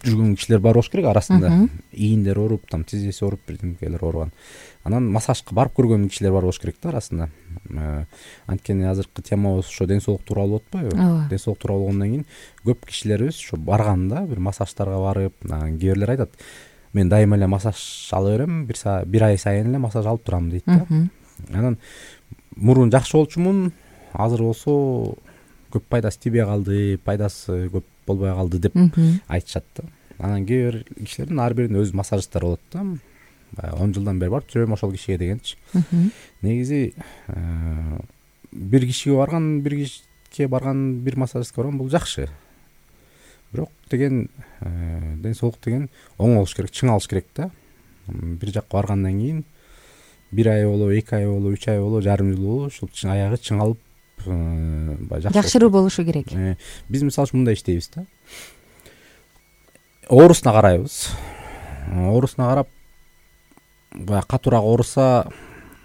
жүргөн кишилер бар болуш керек арасында. Ийиндер ооруп, там тизеси ооруп, бирдемкелер ооруган. Анан массажга барып көргөн кишилер бар болуш керек да арасында. Анткени азыркы темабыз ошо ден соолук тууралуу болотпойбу? Ден соолук тууралуу болгондон кийин көп кишилерибиз ошо барганда бир массаждарга барып, кээ бирлер айтат, мен дайыма эле массаж ала берем, бир саат, бир ай сайын эле массаж алып турам дейт да. Анан мурун жакшы болчумун, азыр болсо көп пайдасы тийбей калды, пайдасы көп болбой калды деп айтышат да. Анан кээ бир кишилердин ар биринин өз массажисттары болот да. Баягы он жылдан бери барып жүрөм ошол кишиге дегенчи. Негизи бир кишиге барган, бир кишиге барган, бир массажистке барган бул жакшы. Бирок деген ден соолук деген оң болуш керек, чың алыш керек да. Бир жакка баргандан кийин бир ай болобу, эки ай болобу, үч ай болобу, жарым жыл болобу, ушул аягы чың алып баягы жакшыруу болушу керек. Биз мисалы үчүн мындай иштейбиз да. Оорусуна карайбыз. Оорусуна карап баягы катуураак ооруса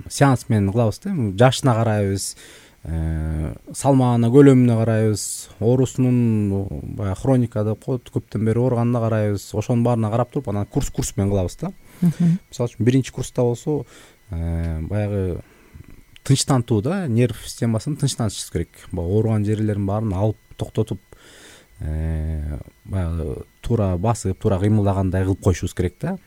сеанс менен кылабыз да. Жашына карайбыз, салмагына, көлөмүнө карайбыз, оорусунун баягы хроника деп коет, көптөн бери ооруганына карайбыз. Ошонун баарына карап туруп анан курс курс менен кылабыз да. Мисалы үчүн биринчи курста болсо баягы тынчтантуу да, нерв системасын тынчтантышыбыз керек. Баягы ооруган жерлерин баарын алып токтотуп, баягы туура басып, туура кыймылдагандай кылып коюшубуз керек да.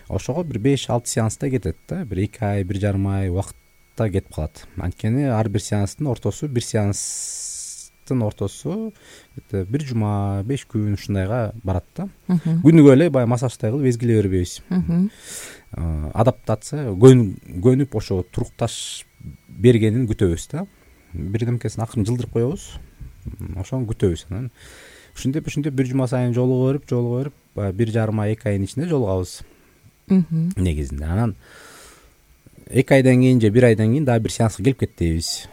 Ошого бир беш алты сеанста кетет да. Бир эки ай, бир жарым ай убакытта кетип калат. Анткени ар бир сеанстын ортосу, бир сеанстын ортосу бир жума, беш күн ушундайга барат да. Күнүгө эле баягы массаждай кылып эзгилей бербейбиз. Адаптация, көнүп ошо турукташ бергенин күтөбүз да. Бирдемкесин акырын жылдырып коебуз. Ошону күтөбүз. Анан ушинтип ушинтип бир жума сайын жолуга берип, жолуга берип, баягы бир жарым ай, эки айдын ичинде жолугабыз. Негизинде. Анан эки айдан кийин же бир айдан кийин дагы бир сеанска келип кет дейбиз.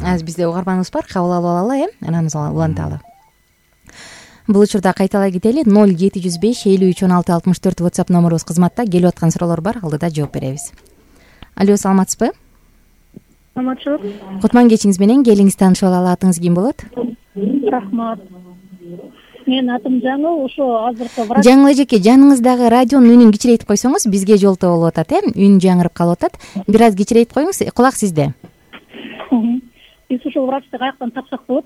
Азыр бизде угарманыбыз бар, кабыл алып алалы, э? Анаңызга уланталы. Бул учурда кайталай кетели. ноль жети жүз беш элүү үч он алты алтымыш төрт WhatsApp номерубуз кызматта. Келип аткан суроолор бар, алдыда жооп беребиз. Алло, саламатсызбы? саламатчылык. Кутман кечиңиз менен келиңиз таанышып алалы, атыңыз ким болот? Рахмат. Менин атым Жаңыл, ошо азыркы врач. Жаңыл эжеке, жаныңыздагы радионун үнүн кичирейтип койсоңуз, бизге жолтоо болуп атат, э? Үн жаңырып калып атат. Бир аз кичирейтип коюңуз, кулак сизде. Биз ушул врачты каяктан тапсак болот?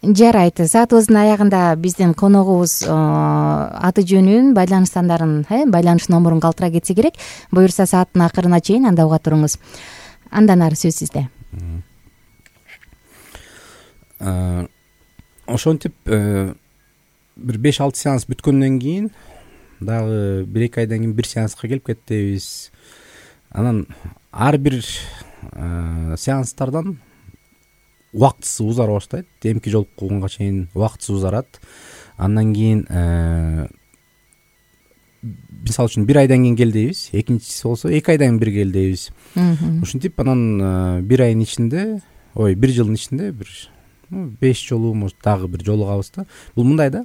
Жарайт. Саатыбыздын аягында биздин коногубуз аты жөнүн, байланыш сандарын, байланыш номерун калтыра кетсе керек. Буюрса сааттын акырына чейин анда уга туруңуз. Андан ары сөз сизде. Ошентип бир беш алты сеанс бүткөндөн кийин дагы бир эки айдан кийин бир сеанска келип кеттибиз. Анан ар бир сеанстардан убактысы узара баштайт. Эмки жолкуганга чейин убактысы узарат. Андан кийин мисалы үчүн бир айдан кийин кел дейбиз, экинчиси болсо эки айдан кийин бир кел дейбиз. Ушинтип анан бир айдын ичинде, ой, бир жылдын ичинде бир беш жолу, может дагы бир жолугабыз да. Бул мындай да.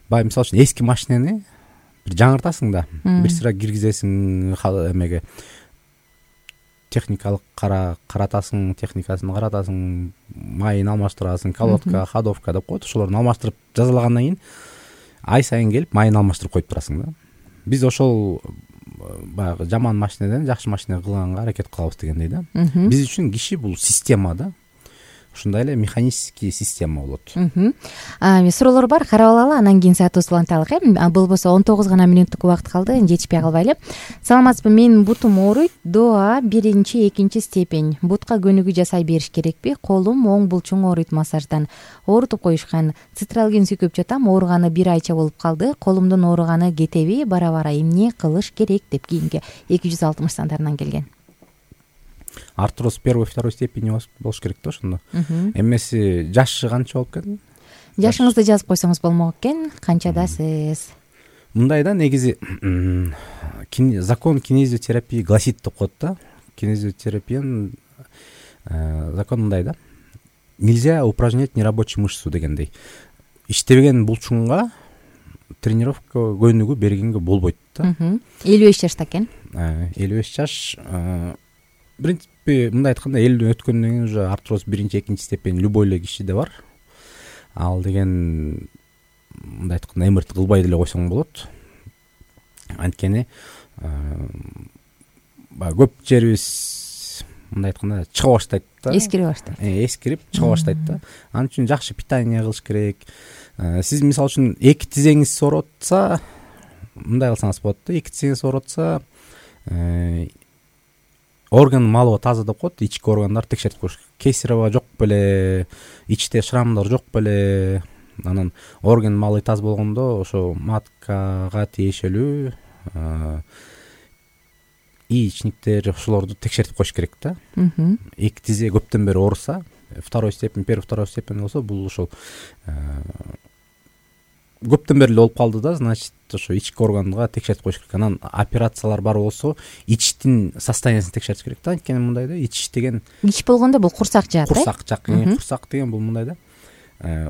Бай мисалы үчүн эски машинени бир жаңыртасың да, бир сыра киргизесиң эмеге. Техникалык каратасың, техникасын каратасың, майын алмаштырасың, колодка, ходовка деп коет. Ошолорду алмаштырып жазалагандан кийин ай сайын келип майын алмаштырып коюп турасың да. Биз ошол баягы жаман машинеден жакшы машина кылганга аракет кылабыз дегендей да. Биз үчүн киши бул система да. Ушундай эле механический система болот. Суроолор бар, карап алалы, анан кийин саатыбызды уланталык, э? Болбосо он тогуз гана мүнөттүк убакыт калды, жетишпей калбайлы. Саламатсызбы, менин бутум ооруйт. Доа биринчи, экинчи степень. Бутка көнүгүү жасай бериш керекпи? Колум оң булчуң ооруйт массаждан. Оорутуп коюшкан. Цитралгин сүйкөп жатам, ооруганы бир айча болуп калды. Колумдун ооруганы кетеби? Бара-бара эмне кылыш керек деп кийинки эки жүз алтымыш сандарынан келген. Артроз первой, второй степени болуш керек да ошондо. Эмеси жашы канча болуп кетти? Жашыңызды жазып койсоңуз болмок экен. Канчадасыз? Мындай да, негизи закон кинезиотерапии гласит деп коет да. Кинезиотерапиянын закон мындай да. Нельзя упражнять нерабочую мышцу дегендей. Иштебеген булчуңга тренировка көнүгүү бергенге болбойт да. элүү беш жашта экен. элүү беш жаш. В принципе, мындай айтканда элүүдөн өткөндөн кийин уже артроз биринчи, экинчи степень любой эле кишиде бар. Ал деген мындай айтканда эмерт кылбай деле койсоң болот. Анткени баягы көп жерибиз мындай айтканда чыга баштайт да. Эскирип баштайт. Эскирип чыга баштайт да. Анын үчүн жакшы питание кылыш керек. Сиз мисалы үчүн эки тизеңиз сооротса, мындай кылсаңыз болот да. Эки тизеңиз сооротса, орган малыбы таза деп коет, ички органдар текшертип коюш керек. Кесарево жок беле, ичте шрамдар жок беле. Анан орган малы таза болгондо ошо маткага тиешелүү яичниктер ошолорду текшертип коюш керек да. Эки тизе көптөн бери ооруса, второй степень, первый, второй степень болсо, бул ошол көптөн бери эле болуп калды да, значит, ошо ички органга текшертип коюш керек. Анан операциялар бар болсо, ичтин состояниясын текшертиш керек да. Анткени мындай да, ич деген ич болгондо бул курсак жаат, э? Курсак жак, курсак деген бул мындай да.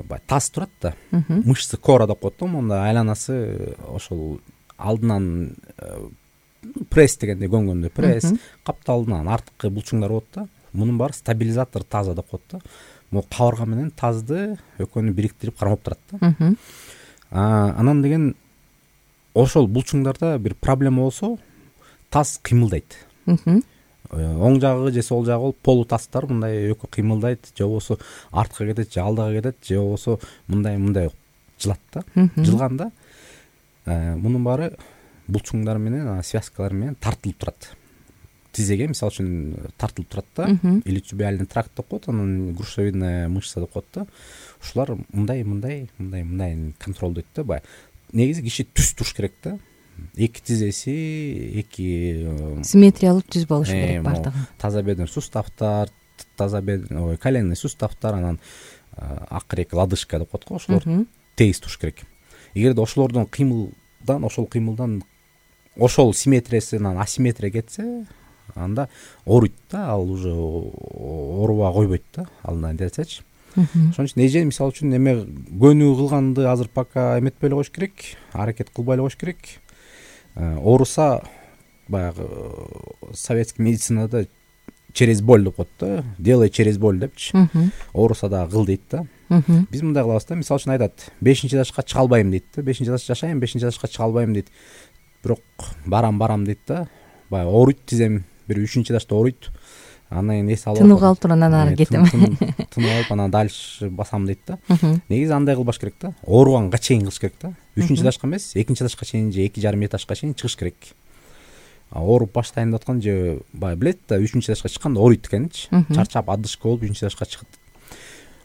Бай таз турат да. Мышцы кора деп коет да, монда айланасы ошол алдынан пресс дегенде көңгөндө пресс, капталынан арткы булчуңдар болот да. Мунун баары стабилизатор таза деп коет да. Могу кабырга менен тазды экөөнү бириктирип кармап турат да. Анан деген ошол булчуңдарда бир проблема болсо, таз кыймылдайт. Оң жагы же сол жагы болуп полутаздар мындай экөө кыймылдайт, же болбосо артка кетет, же алдыга кетет, же болбосо мындай-мындай жылат да. Жылганда мунун баары булчуңдар менен, связкалар менен тартылып турат. Тизеге мисалы үчүн тартылып турат да. Иличубиальный тракт деп коет, анан грушевидная мышца деп коет да. Ушулар мындай, мындай, мындай, мындай контролдойт да. Бай негизи киши түз туруш керек да. Эки тизеси, эки симметриялуу түз болуш керек бардыгы. Таза бедер суставтар, таза бедер, ой, коленный суставтар, анан акыркы лодыжка деп коет го, ошолор тегиз туруш керек. Эгерде ошолордун кыймылдан, ошол кыймылдан ошол симметриясынан асимметрия кетсе, анда ооруйт да, ал уже оорубай койбойт да, алдынан десечи. Ошон үчүн эже мисалы үчүн эме көнүгүү кылганды азыр пока эметпей эле коюш керек, аракет кылбай эле коюш керек. Ооруса баягы советский медицинада через боль деп коет да, делай через боль депчи, ооруса дагы кыл дейт да. Биз мындай кылабыз да, мисалы үчүн айтат, бешинчи этажга чыга албайм дейт да, бешинчи этажда жашайм, бешинчи этажга чыга албайм дейт, бирок барам барам дейт да, баягы ооруйт тизем, бир үчүнчү этажда ооруйт, андан кийин эс алып тынып калып туруп анан ары кетем, тынып алып анан дальше басам дейт да. Негизи андай кылбаш керек да, ооруганга чейин кылыш керек да, үчүнчү этажга эмес, экинчи этажга чейин же эки жарым этажга чейин чыгыш керек. Ооруп баштайын деп аткан же баягы билет да, үчүнчү этажга чыкканда ооруйт экенинчи, чарчап адышка болуп үчүнчү этажга чыгат.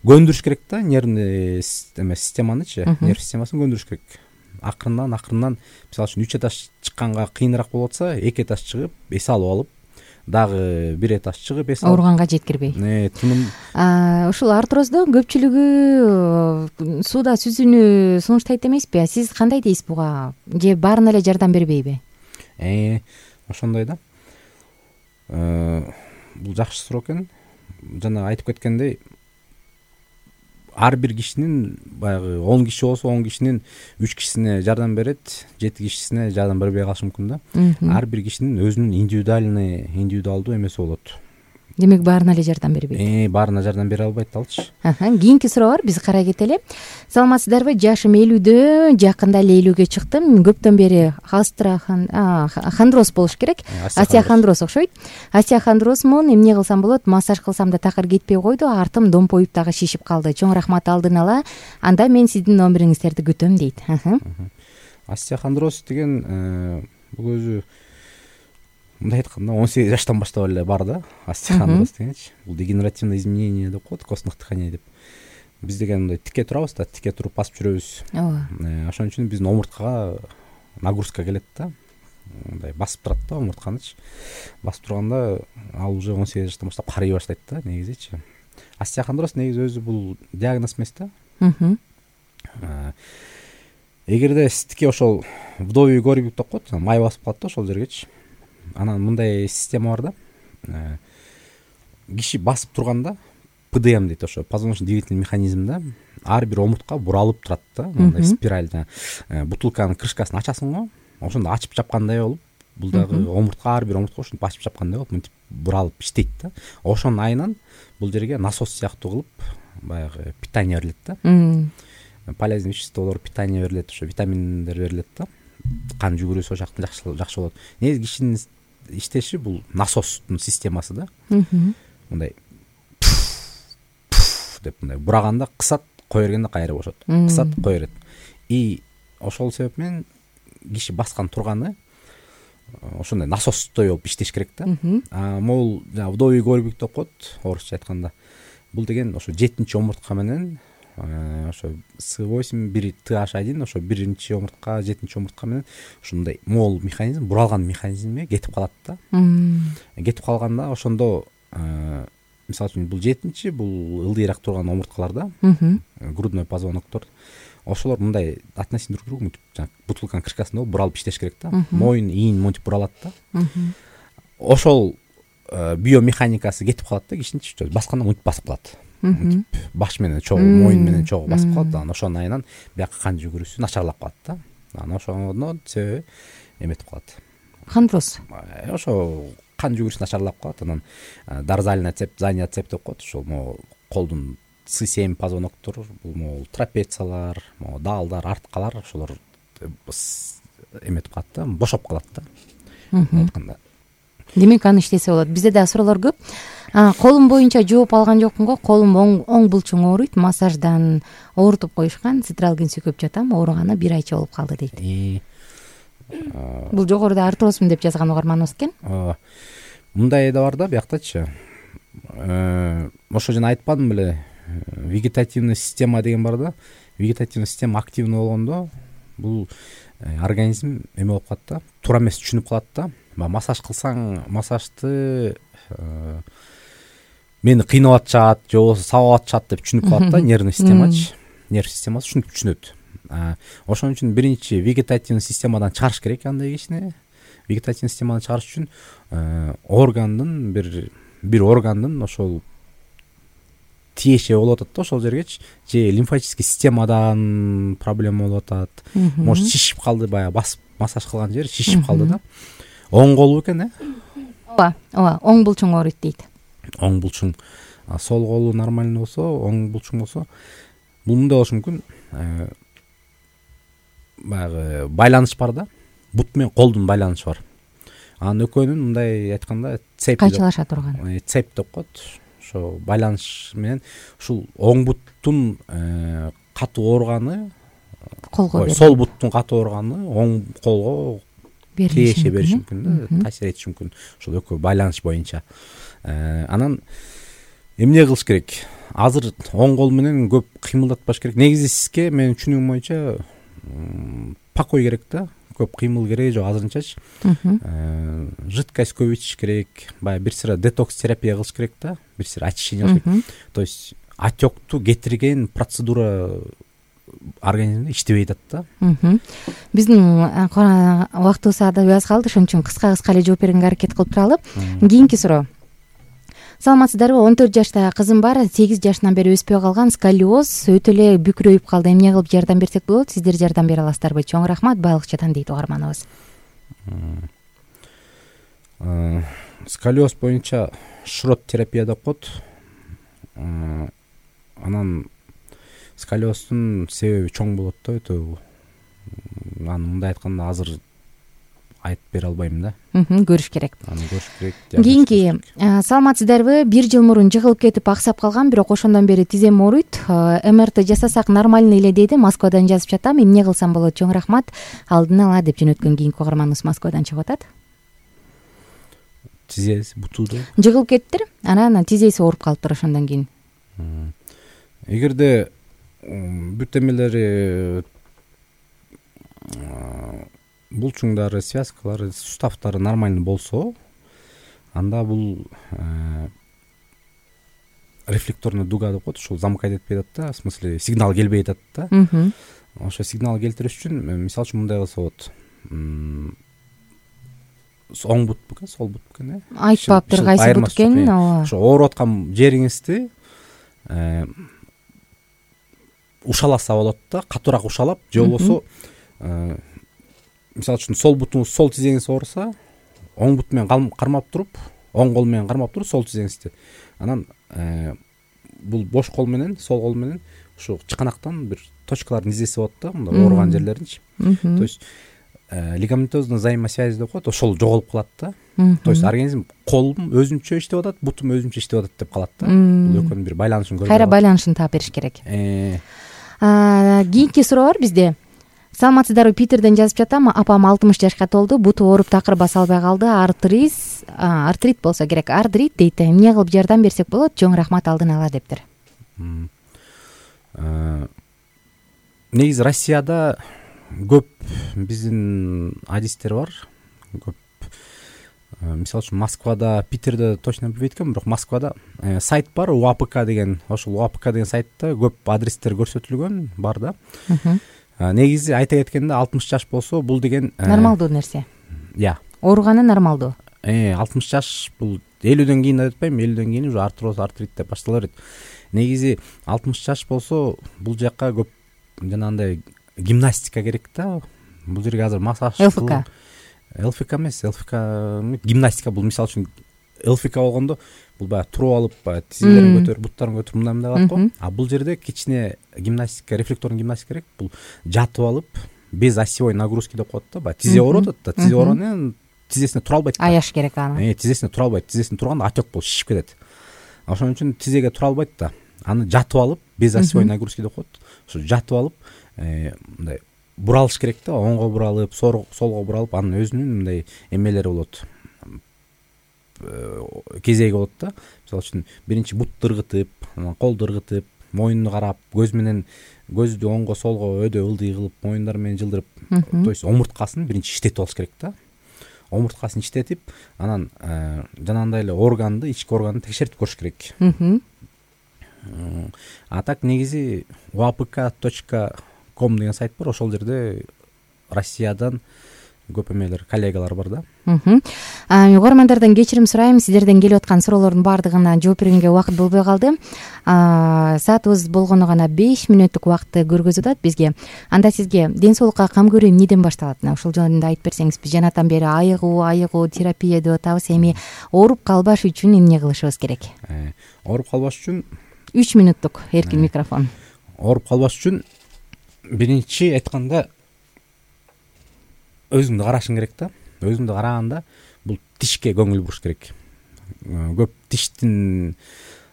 Көндүрүш керек да, нервный эме системанычы, нерв системасын көндүрүш керек. Акырындан акырындан, мисалы үчүн үч этаж чыкканга кыйыныраак болуп атса, эки этаж чыгып, эс алып алып, дагы бир этаж чыгып эс алып, ооруганга жеткирбей. Тыным ушул артрозду көпчүлүгү сууда сүзүүнү сунуштайт эмеспи? Сиз кандай дейсиз буга? Же баарына эле жардам бербейби? Э, ошондой да. Бул жакшы суроо экен. Жана айтып кеткендей, ар бир кишинин баягы он киши болсо он кишинин үч кишисине жардам берет, жети кишисине жардам бербей калышы мүмкүн да. Ар бир кишинин өзүнүн индивидуальный, индивидуалдуу эмеси болот. Демек баарына эле жардам бербейт. Э, баарына жардам бере албайт алчы. Кийинки суроо бар, биз карай кетели. Саламатсыздарбы? Жашым элүүдө, жакында эле элүүгө чыктым. Көптөн бери остеохондроз болуш керек. Остеохондроз окшойт. Остеохондрозмун, эмне кылсам болот? Массаж кылсам да такыр кетпей койду, артым домпоюп дагы шишип калды. Чоң рахмат алдын ала. Анда мен сиздин номериңиздерди күтөм дейт. Остеохондроз деген бул өзү мындай айтканда он сегиз жаштан баштап эле бар да, остеохондроз дегенчи. Бул дегенеративное изменение деп коет, костных тканей деп. Биз деген мындай тике турабыз да, тике туруп басып жүрөбүз. Ооба. Ошон үчүн биздин омурткага нагрузка келет да. Мындай басып турат да омуртканычы. Басып турганда ал уже он сегиз жаштан баштап карый баштайт да, негизичи. Остеохондроз негизи өзү бул диагноз эмес да. Эгерде сиздики ошол вдовий горбик деп коет, май басып калат да ошол жергечи. Анан мындай система бар да. Киши басып турганда пэ дэ эм дейт, ошо позвоночно-двигательный механизм да. Ар бир омуртка буралып турат да, мындай спиральда. Бутылканын крышкасын ачасың го, ошондо ачып жапкандай болуп, бул дагы омуртка, ар бир омуртка ушинтип ачып жапкандай болуп, мынтип буралып иштейт да. Ошонун айынан бул жерге насос сыяктуу кылып баягы питание берилет да. Полезный веществолор, питание берилет, ошо витаминдер берилет да. Кан жүгүрүүсү жактан жакшы жакшы болот. Негизи кишинин иштеши бул насостун системасы да. Мындай деп мындай бураганда кысат, кое бергенде кайра бошот. Кысат, кое берет. И ошол себеп менен киши баскан турганы ошондой насостой болуп иштеш керек да. А могул жана вдовий горбик деп коет, орусча айтканда. Бул деген ошо жетинчи омуртка менен ошо эс восемь, бир тэ аш один, ошо биринчи омуртка, жетинчи омуртка менен ушундай мол механизм, буралган механизмге кетип калат да. Кетип калганда ошондо мисалы үчүн бул жетинчи, бул ылдыйраак турган омурткалар да, грудной позвоноктор. Ошолор мындай относительно друг к другу жана бутылканын крышкасында буралып иштеш керек да. Моюн, ийин монтип буралат да. Ошол биомеханикасы кетип калат да, кишинин басканда монтип басып калат. Баш менен чогуу, моюн менен чогуу басып калат. Анан ошонун айынан бияка кан жүгүрүүсү начарлап калат да. Анан ошондон себеби эметип калат. Хондроз. Ошо кан жүгүрүшү начарлап калат. Анан дорзальная цепь, задняя цепь деп коет. Ошол могу колдун эс семь позвоноктор, бул могу трапециялар, могу даалдар, арткалар, ошолор эметип калат да, бошоп калат да. Айтканда. Демек аны иштесе болот. Бизде да суроолор көп. Колум боюнча жооп алган жокмун го, колум оң булчуң ооруйт, массаждан оорутуп коюшкан, цитралгин сүйкөп жатам, ооруганы бир айча болуп калды дейт. Бул жогоруда артрозмун деп жазган угарманыбыз экен. Мындай да бар да бияктачы. Ошо жана айтпадым беле, вегетативный система деген бар да. Вегетативный система активный болгондо бул организм эме болуп калат да, туура эмес түшүнүп калат да. Массаж кылсаң, массажды мени кыйнап атышат, же болбосо сабап атышат деп түшүнүп калат да, нервный системачы. Нерв системасы ушинтип түшүнөт. Ошон үчүн биринчи вегетативный системадан чыгарыш керек андай кишини. Вегетативный системадан чыгарыш үчүн органдын бир бир органдын ошол тиеши болуп атат да ошол жергечи, же лимфатический системадан проблема болуп атат. Может шишип калды, баягы басып массаж кылган жер шишип калды да. Оң колу экен, э? Ооба, ооба, оң булчуң ооруйт дейт. оң булчуң сол колу нормальный болсо, оң булчуң болсо, бул мындай болушу мүмкүн. Баягы байланыш бар да, бут менен колдун байланышы бар. Анын экөөнүн мындай айтканда цепь кайчылаша турган цепь деп коет. Ошо байланыш менен ушул оң буттун катуу ооруганы колго, сол буттун катуу ооруганы оң колго тиеше бериши мүмкүн да, таасир этиши мүмкүн. Ушул экөө байланыш боюнча. Анан эмне кылыш керек? Азыр оң кол менен көп кыймылдатпаш керек. Негизи сизге менин түшүнүгүм боюнча покой керек да, көп кыймыл керек жок азырынчачы. Жидкость көп ичиш керек, баягы бир сыра детокс терапия кылыш керек да, бир сыра очищение кылыш керек. То есть отёкту кетирген процедура организмде иштебей атат да. Биздин убактыбыз ада аз калды, ошон үчүн кыска-кыска эле жооп бергенге аракет кылып туралы. Кийинки суроо. Саламатсыздарбы? он төрт жаштагы кызым бар, сегиз жашынан бери өспөй калган сколиоз өтө эле бүкүрөйүп калды. Эмне кылып жардам берсек болот? Сиздер жардам бере аласыздарбы? Чоң рахмат, байлыкчадан дейт угарманыбыз. Сколиоз боюнча шрот терапия деп коет. Анан сколиоздун себеби чоң болот да, өтө. Аны мындай айтканда азыр айтып бере албайм да. Көрүш керек. Аны көрүш керек. Кийинки, саламатсыздарбы? Бир жыл мурун жыгылып кетип аксап калган, бирок ошондон бери тизем ооруйт. эм эр тэ жасасак нормальный эле дейди. Москвадан жазып жатам. Эмне кылсам болот? Чоң рахмат. Алдын ала деп жөнөткөн кийинки угарманыбыз Москвадан чыгып атат. Тизеси бутулду. Жыгылып кеттир, анан тизеси ооруп калыптыр ошондон кийин. Эгерде бүт эмелери, булчуңдары, связкалары, суставтары нормальный болсо, анда бул рефлекторный дуга деп коет, ушул замыкать этпей атат да, в смысле сигнал келбей атат да. Ошо сигнал келтириш үчүн мисалы үчүн мындай кылса болот. Оң бут бекен, сол бут бекен, э? Айтпаптыр кайсы бут экенин, ооба. Ошо ооруп аткан жериңизди ушаласа болот да, катуураак ушалап, же болбосо мисалы үчүн сол бутуңуз, сол тизеңиз ооруса, оң бут менен кармап туруп, оң кол менен кармап туруп сол тизеңизди. Анан бул бош кол менен, сол кол менен ушу чыканактан бир точкалардын изеси болот да, мындай ооруган жерлеринчи. То есть лигаментозный взаимосвязь деп коет, ошол жоголуп калат да. То есть организм колум өзүнчө иштеп атат, бутум өзүнчө иштеп атат деп калат да. Бул экөөнүн бир байланышын көрүп. Кайра байланышын таап бериш керек. Кийинки суроо бар бизде. Саламатсыздарбы? Питерден жазып жатам. Апам алтымыш жашка толду, буту ооруп такыр баса албай калды. Артриз, артрит болсо керек. Артрит дейт. Эмне кылып жардам берсек болот? Чоң рахмат алдын ала дептир. Негизи Россияда көп биздин адистер бар. Көп. Мисалы үчүн Москвада, Питерде точно билбейт экенмин, бирок Москвада сайт бар, у а пэ ка деген. Ошол у а пэ ка деген сайтта көп адрестер көрсөтүлгөн бар да. Негизи айта кеткенде алтымыш жаш болсо бул деген нормалдуу нерсе. Я. Ооруганы нормалдуу. Э, алтымыш жаш бул элүүдөн кийин деп атпайм, элүүдөн кийин уже артроз, артрит деп баштала берет. Негизи алтымыш жаш болсо бул жакка көп жанагындай гимнастика керек да. Бул жерге азыр массаж. эл эф ка. эл эф ка эмес, эл эф ка гимнастика. Бул мисалы үчүн эл эф ка болгондо бул баягы туруп алып, баягы тизелерин көтөрүп, буттарын көтөрүп мындай мындай кылат го. А бул жерде кичине гимнастика, рефлекторный гимнастика керек. Бул жатып алып, без осевой нагрузки деп коет да. Баягы тизе ооруп атат да, тизе ооруганан тизесине тура албайт. Аяш керек аны. Э, тизесине тура албайт. Тизесине турганда отек болуп шишип кетет. Ошон үчүн тизеге тура албайт да. Аны жатып алып, без осевой нагрузки деп коет. Ошо жатып алып, мындай буралыш керек да, оңго буралып, солго буралып, анын өзүнүн мындай эмелери болот. Кезеги болот да. Мисалы үчүн биринчи бутты ыргытып, анан колду ыргытып, моюнду карап, көз менен көздү оңго солго өдө ылдый кылып, моюндар менен жылдырып, то есть омурткасын биринчи иштетип алыш керек да. Омурткасын иштетип, анан жанагындай эле органды, ички органды текшертип көрүш керек. А так негизи у а пэ ка точка ком деген сайт бар, ошол жерде Россиядан көп эмелер коллегалар бар да. Угармандардан кечирим сурайм, сиздерден келип аткан суроолордун баардыгына жооп бергенге убакыт болбой калды. Саатыбыз болгону гана беш мүнөттүк убакытты көргөзүп атат бизге. Анда сизге ден соолукка кам көрүү эмнеден башталат? Ушул жөнүндө айтып берсеңиз, биз жанатан бери айыгуу, айыгуу терапия деп атабыз. Эми ооруп калбаш үчүн эмне кылышыбыз керек? Ооруп калбаш үчүн үч мүнөттүк эркин микрофон. Ооруп калбаш үчүн биринчи айтканда өзүңдү карашың керек да. Өзүңдү караганда бул тишке көңүл буруш керек. Көп тиштин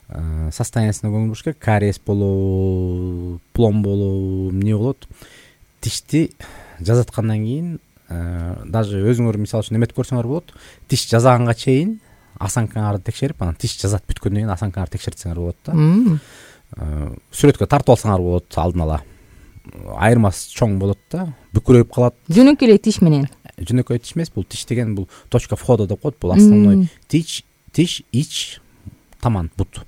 состояниясына көңүл буруш керек. Кариес болобу, плом болобу, эмне болот? Тишти жазаткандан кийин даже өзүңөр мисалы үчүн эметип көрсөңөр болот. Тиш жазаганга чейин осанкаңарды текшерип, анан тиш жазат бүткөндөн кийин осанкаңарды текшертсеңер болот да. Сүрөткө тартып алсаңар болот алдын ала. Айырмасы чоң болот да, бүкүрөйүп калат. Жөнөкөй эле тиш менен. Жөнөкөй тиш эмес, бул тиш деген бул точка входа деп коет. Бул основной тиш, тиш, ич, таман, бут.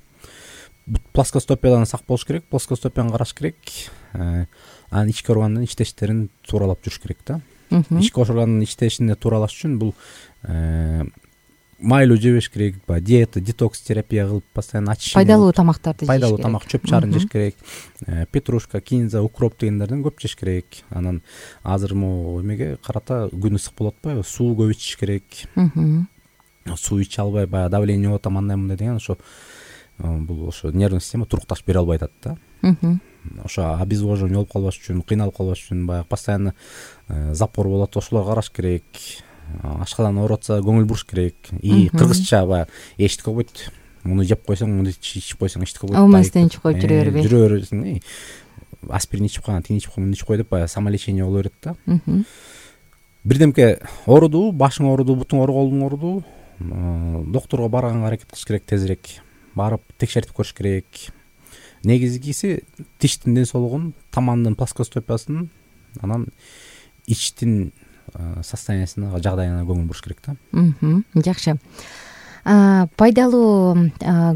Плоскостопиядан сак болуш керек, плоскостопияны караш керек. Анан ички органдын иштештерин тууралап жүрүш керек да. Ички органдын иштешине тууралаш үчүн бул майлуу жебеш керек, баягы диета, детокс терапия кылып постоянно очищение. Пайдалуу тамактарды жеш керек. Пайдалуу тамак, чөп чарын жеш керек. Петрушка, кинза, укроп дегендерден көп жеш керек. Анан азыр могу эмеге карата күн ысык болуп атпайбы? Суу көп ичиш керек. Суу иче албай баягы давление болуп атам, андай мындай деген ошо бул ошо нервный система турукташ бере албай атат да. Ошо обезвоживание болуп калбаш үчүн, кыйналып калбаш үчүн баягы постоянно запор болот, ошолорго караш керек. Ашкадан ооруп атса көңүл буруш керек. И кыргызча баягы эчтик койбойт. Муну жеп койсоң, муну ичип койсоң эчтик койбойт. Алмастан ичип коюп жүрө бербей. Жүрө бересиң. Аспирин ичип койган, тини ичип койгон, муну ичип кой деп баягы самолечение боло берет да. Бирдемке ооруду, башың ооруду, бутуң ооруду, колуң ооруду, доктурга барганга аракет кылыш керек тезирээк. Барып текшертип көрүш керек. Негизгиси тиштин ден соолугун, тамандын плоскостопиясын, анан ичтин состояниясына, жагдайына көңүл буруш керек да. Жакшы. Пайдалуу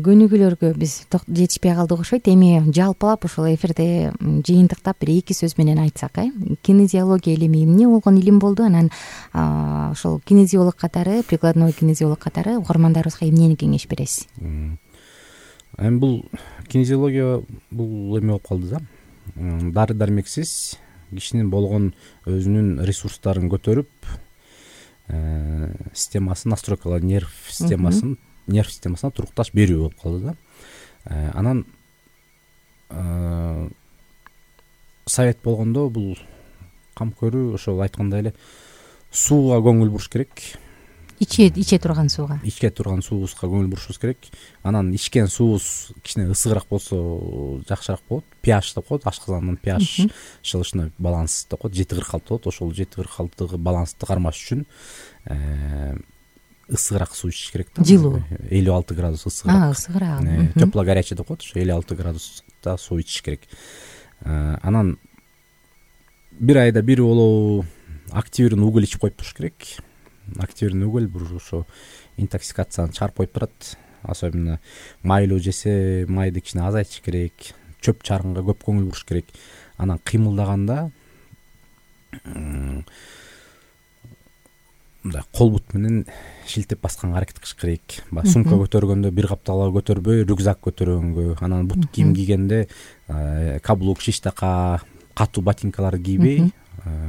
көнүгүүлөргө биз жетишпей калдык окшойт. Эми жалпылап ушул эфирде жыйынтыктап бир эки сөз менен айтсак, э? Кинезиология илими эмне болгон илим болду? Анан ошол кинезиолог катары, прикладной кинезиолог катары угармандарыбызга эмнени кеңеш бересиз? Эми бул кинезиология бул эме болуп калды да. Дары дармексиз кишинин болгон өзүнүн ресурстарын көтөрүп, системасын настройкалоо, нерв системасын, нерв системасына турукташ берүү болуп калды да. Анан совет болгондо бул кам көрүү ошол айткандай эле сууга көңүл буруш керек. Иче иче турган сууга. Иче турган суубузга көңүл бурушубуз керек. Анан ичкен суубуз кичине ысыгыраак болсо жакшыраак болот. pH деп коет, ашказандын pH шылышына баланс деп коет, жети кырк алты болот. Ошол жети кырк алтыгы балансты кармаш үчүн ысыгыраак суу ичиш керек да. Жылуу. элүү алты градус ысыгыраак. А, ысыгыраак. Тепло горячий деп коет, ошо элүү алты градуста суу ичиш керек. Анан бир айда бир болобу активированный уголь ичип коюп туруш керек. Активированный уголь бул ошо интоксикацияны чыгарып коюп турат. Особенно майлуу жесе, майды кичине азайтыш керек. Чөп чарынга көп көңүл буруш керек. Анан кыймылдаганда мындай кол бут менен шилтеп басканга аракет кылыш керек. Баягы сумка көтөргөндө бир каптала көтөрбөй, рюкзак көтөргөнгө, анан бут кийим кийгенде каблук, шиштака, катуу ботинкаларды кийбей,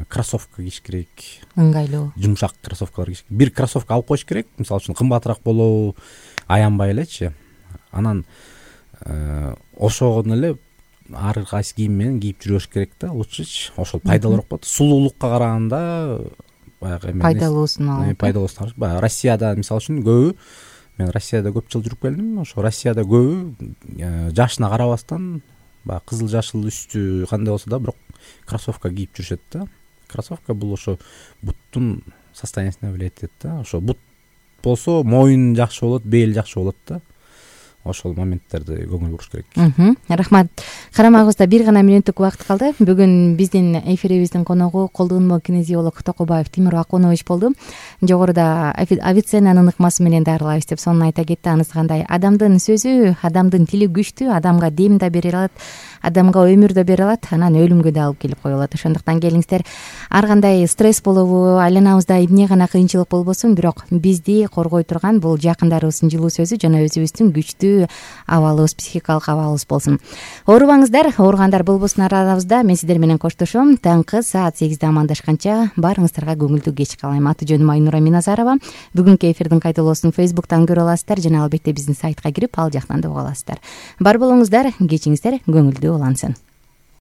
кроссовка кийиш керек. Ыңгайлуу. Жумшак кроссовкалар кийиш керек. Бир кроссовка алып коюш керек. Мисалы үчүн кымбатыраак болобу, аянбай элечи. Анан ошого эле ар кайсы кийим менен кийип жүрөш керек да, лучшечи. Ошол пайдалуураак болот. Сулуулукка караганда баягы эме пайдалуусун алып. Пайдалуусун алып. Баягы Россияда мисалы үчүн көбү, мен Россияда көп жыл жүрүп келдим. Ошо Россияда көбү жашына карабастан баягы кызыл жашыл үстү кандай болсо да, бирок кроссовка кийип жүрүшөт да. Кроссовка бул ошо буттун состояниясына влиять этет да. Ошо бут болсо моюн жакшы болот, бел жакшы болот да. Ошол моменттерди көңүл буруш керек. Рахмат. Карамагыбызда бир гана мүнөттүк убакыт калды. Бүгүн биздин эфирибиздин коногу колдонмо кинезиолог Токобаев Тимур Акунович болду. Жогоруда Авиценнанын ыкмасы менен дарылайбыз деп сонун айта кетти. Анысы кандай? Адамдын сөзү, адамдын тили күчтүү, адамга дем да бере алат. адамга өмүр да бере алат, анан өлүмгө да алып келип кое алат. Ошондуктан келиңиздер, ар кандай стресс болобу, айланабызда эмне гана кыйынчылык болбосун, бирок бизди коргой турган бул жакындарыбыздын жылуу сөзү жана өзүбүздүн күчтүү абалыбыз, психикалык абалыбыз болсун. Оорубаңыздар, ооругандар болбосун арабызда. Мен сиздер менен коштошом. Таңкы саат сегизде амандашканча баарыңыздарга көңүлдүү кеч каалайм. Аты жөнүм Айнура Миназарова. Бүгүнкү эфирдин кайталоосун Facebook'тан көрө аласыздар жана албетте биздин сайтка кирип ал жактан да уга аласыздар. Бар болуңуздар, кечиңиздер көңүлдүү улансын.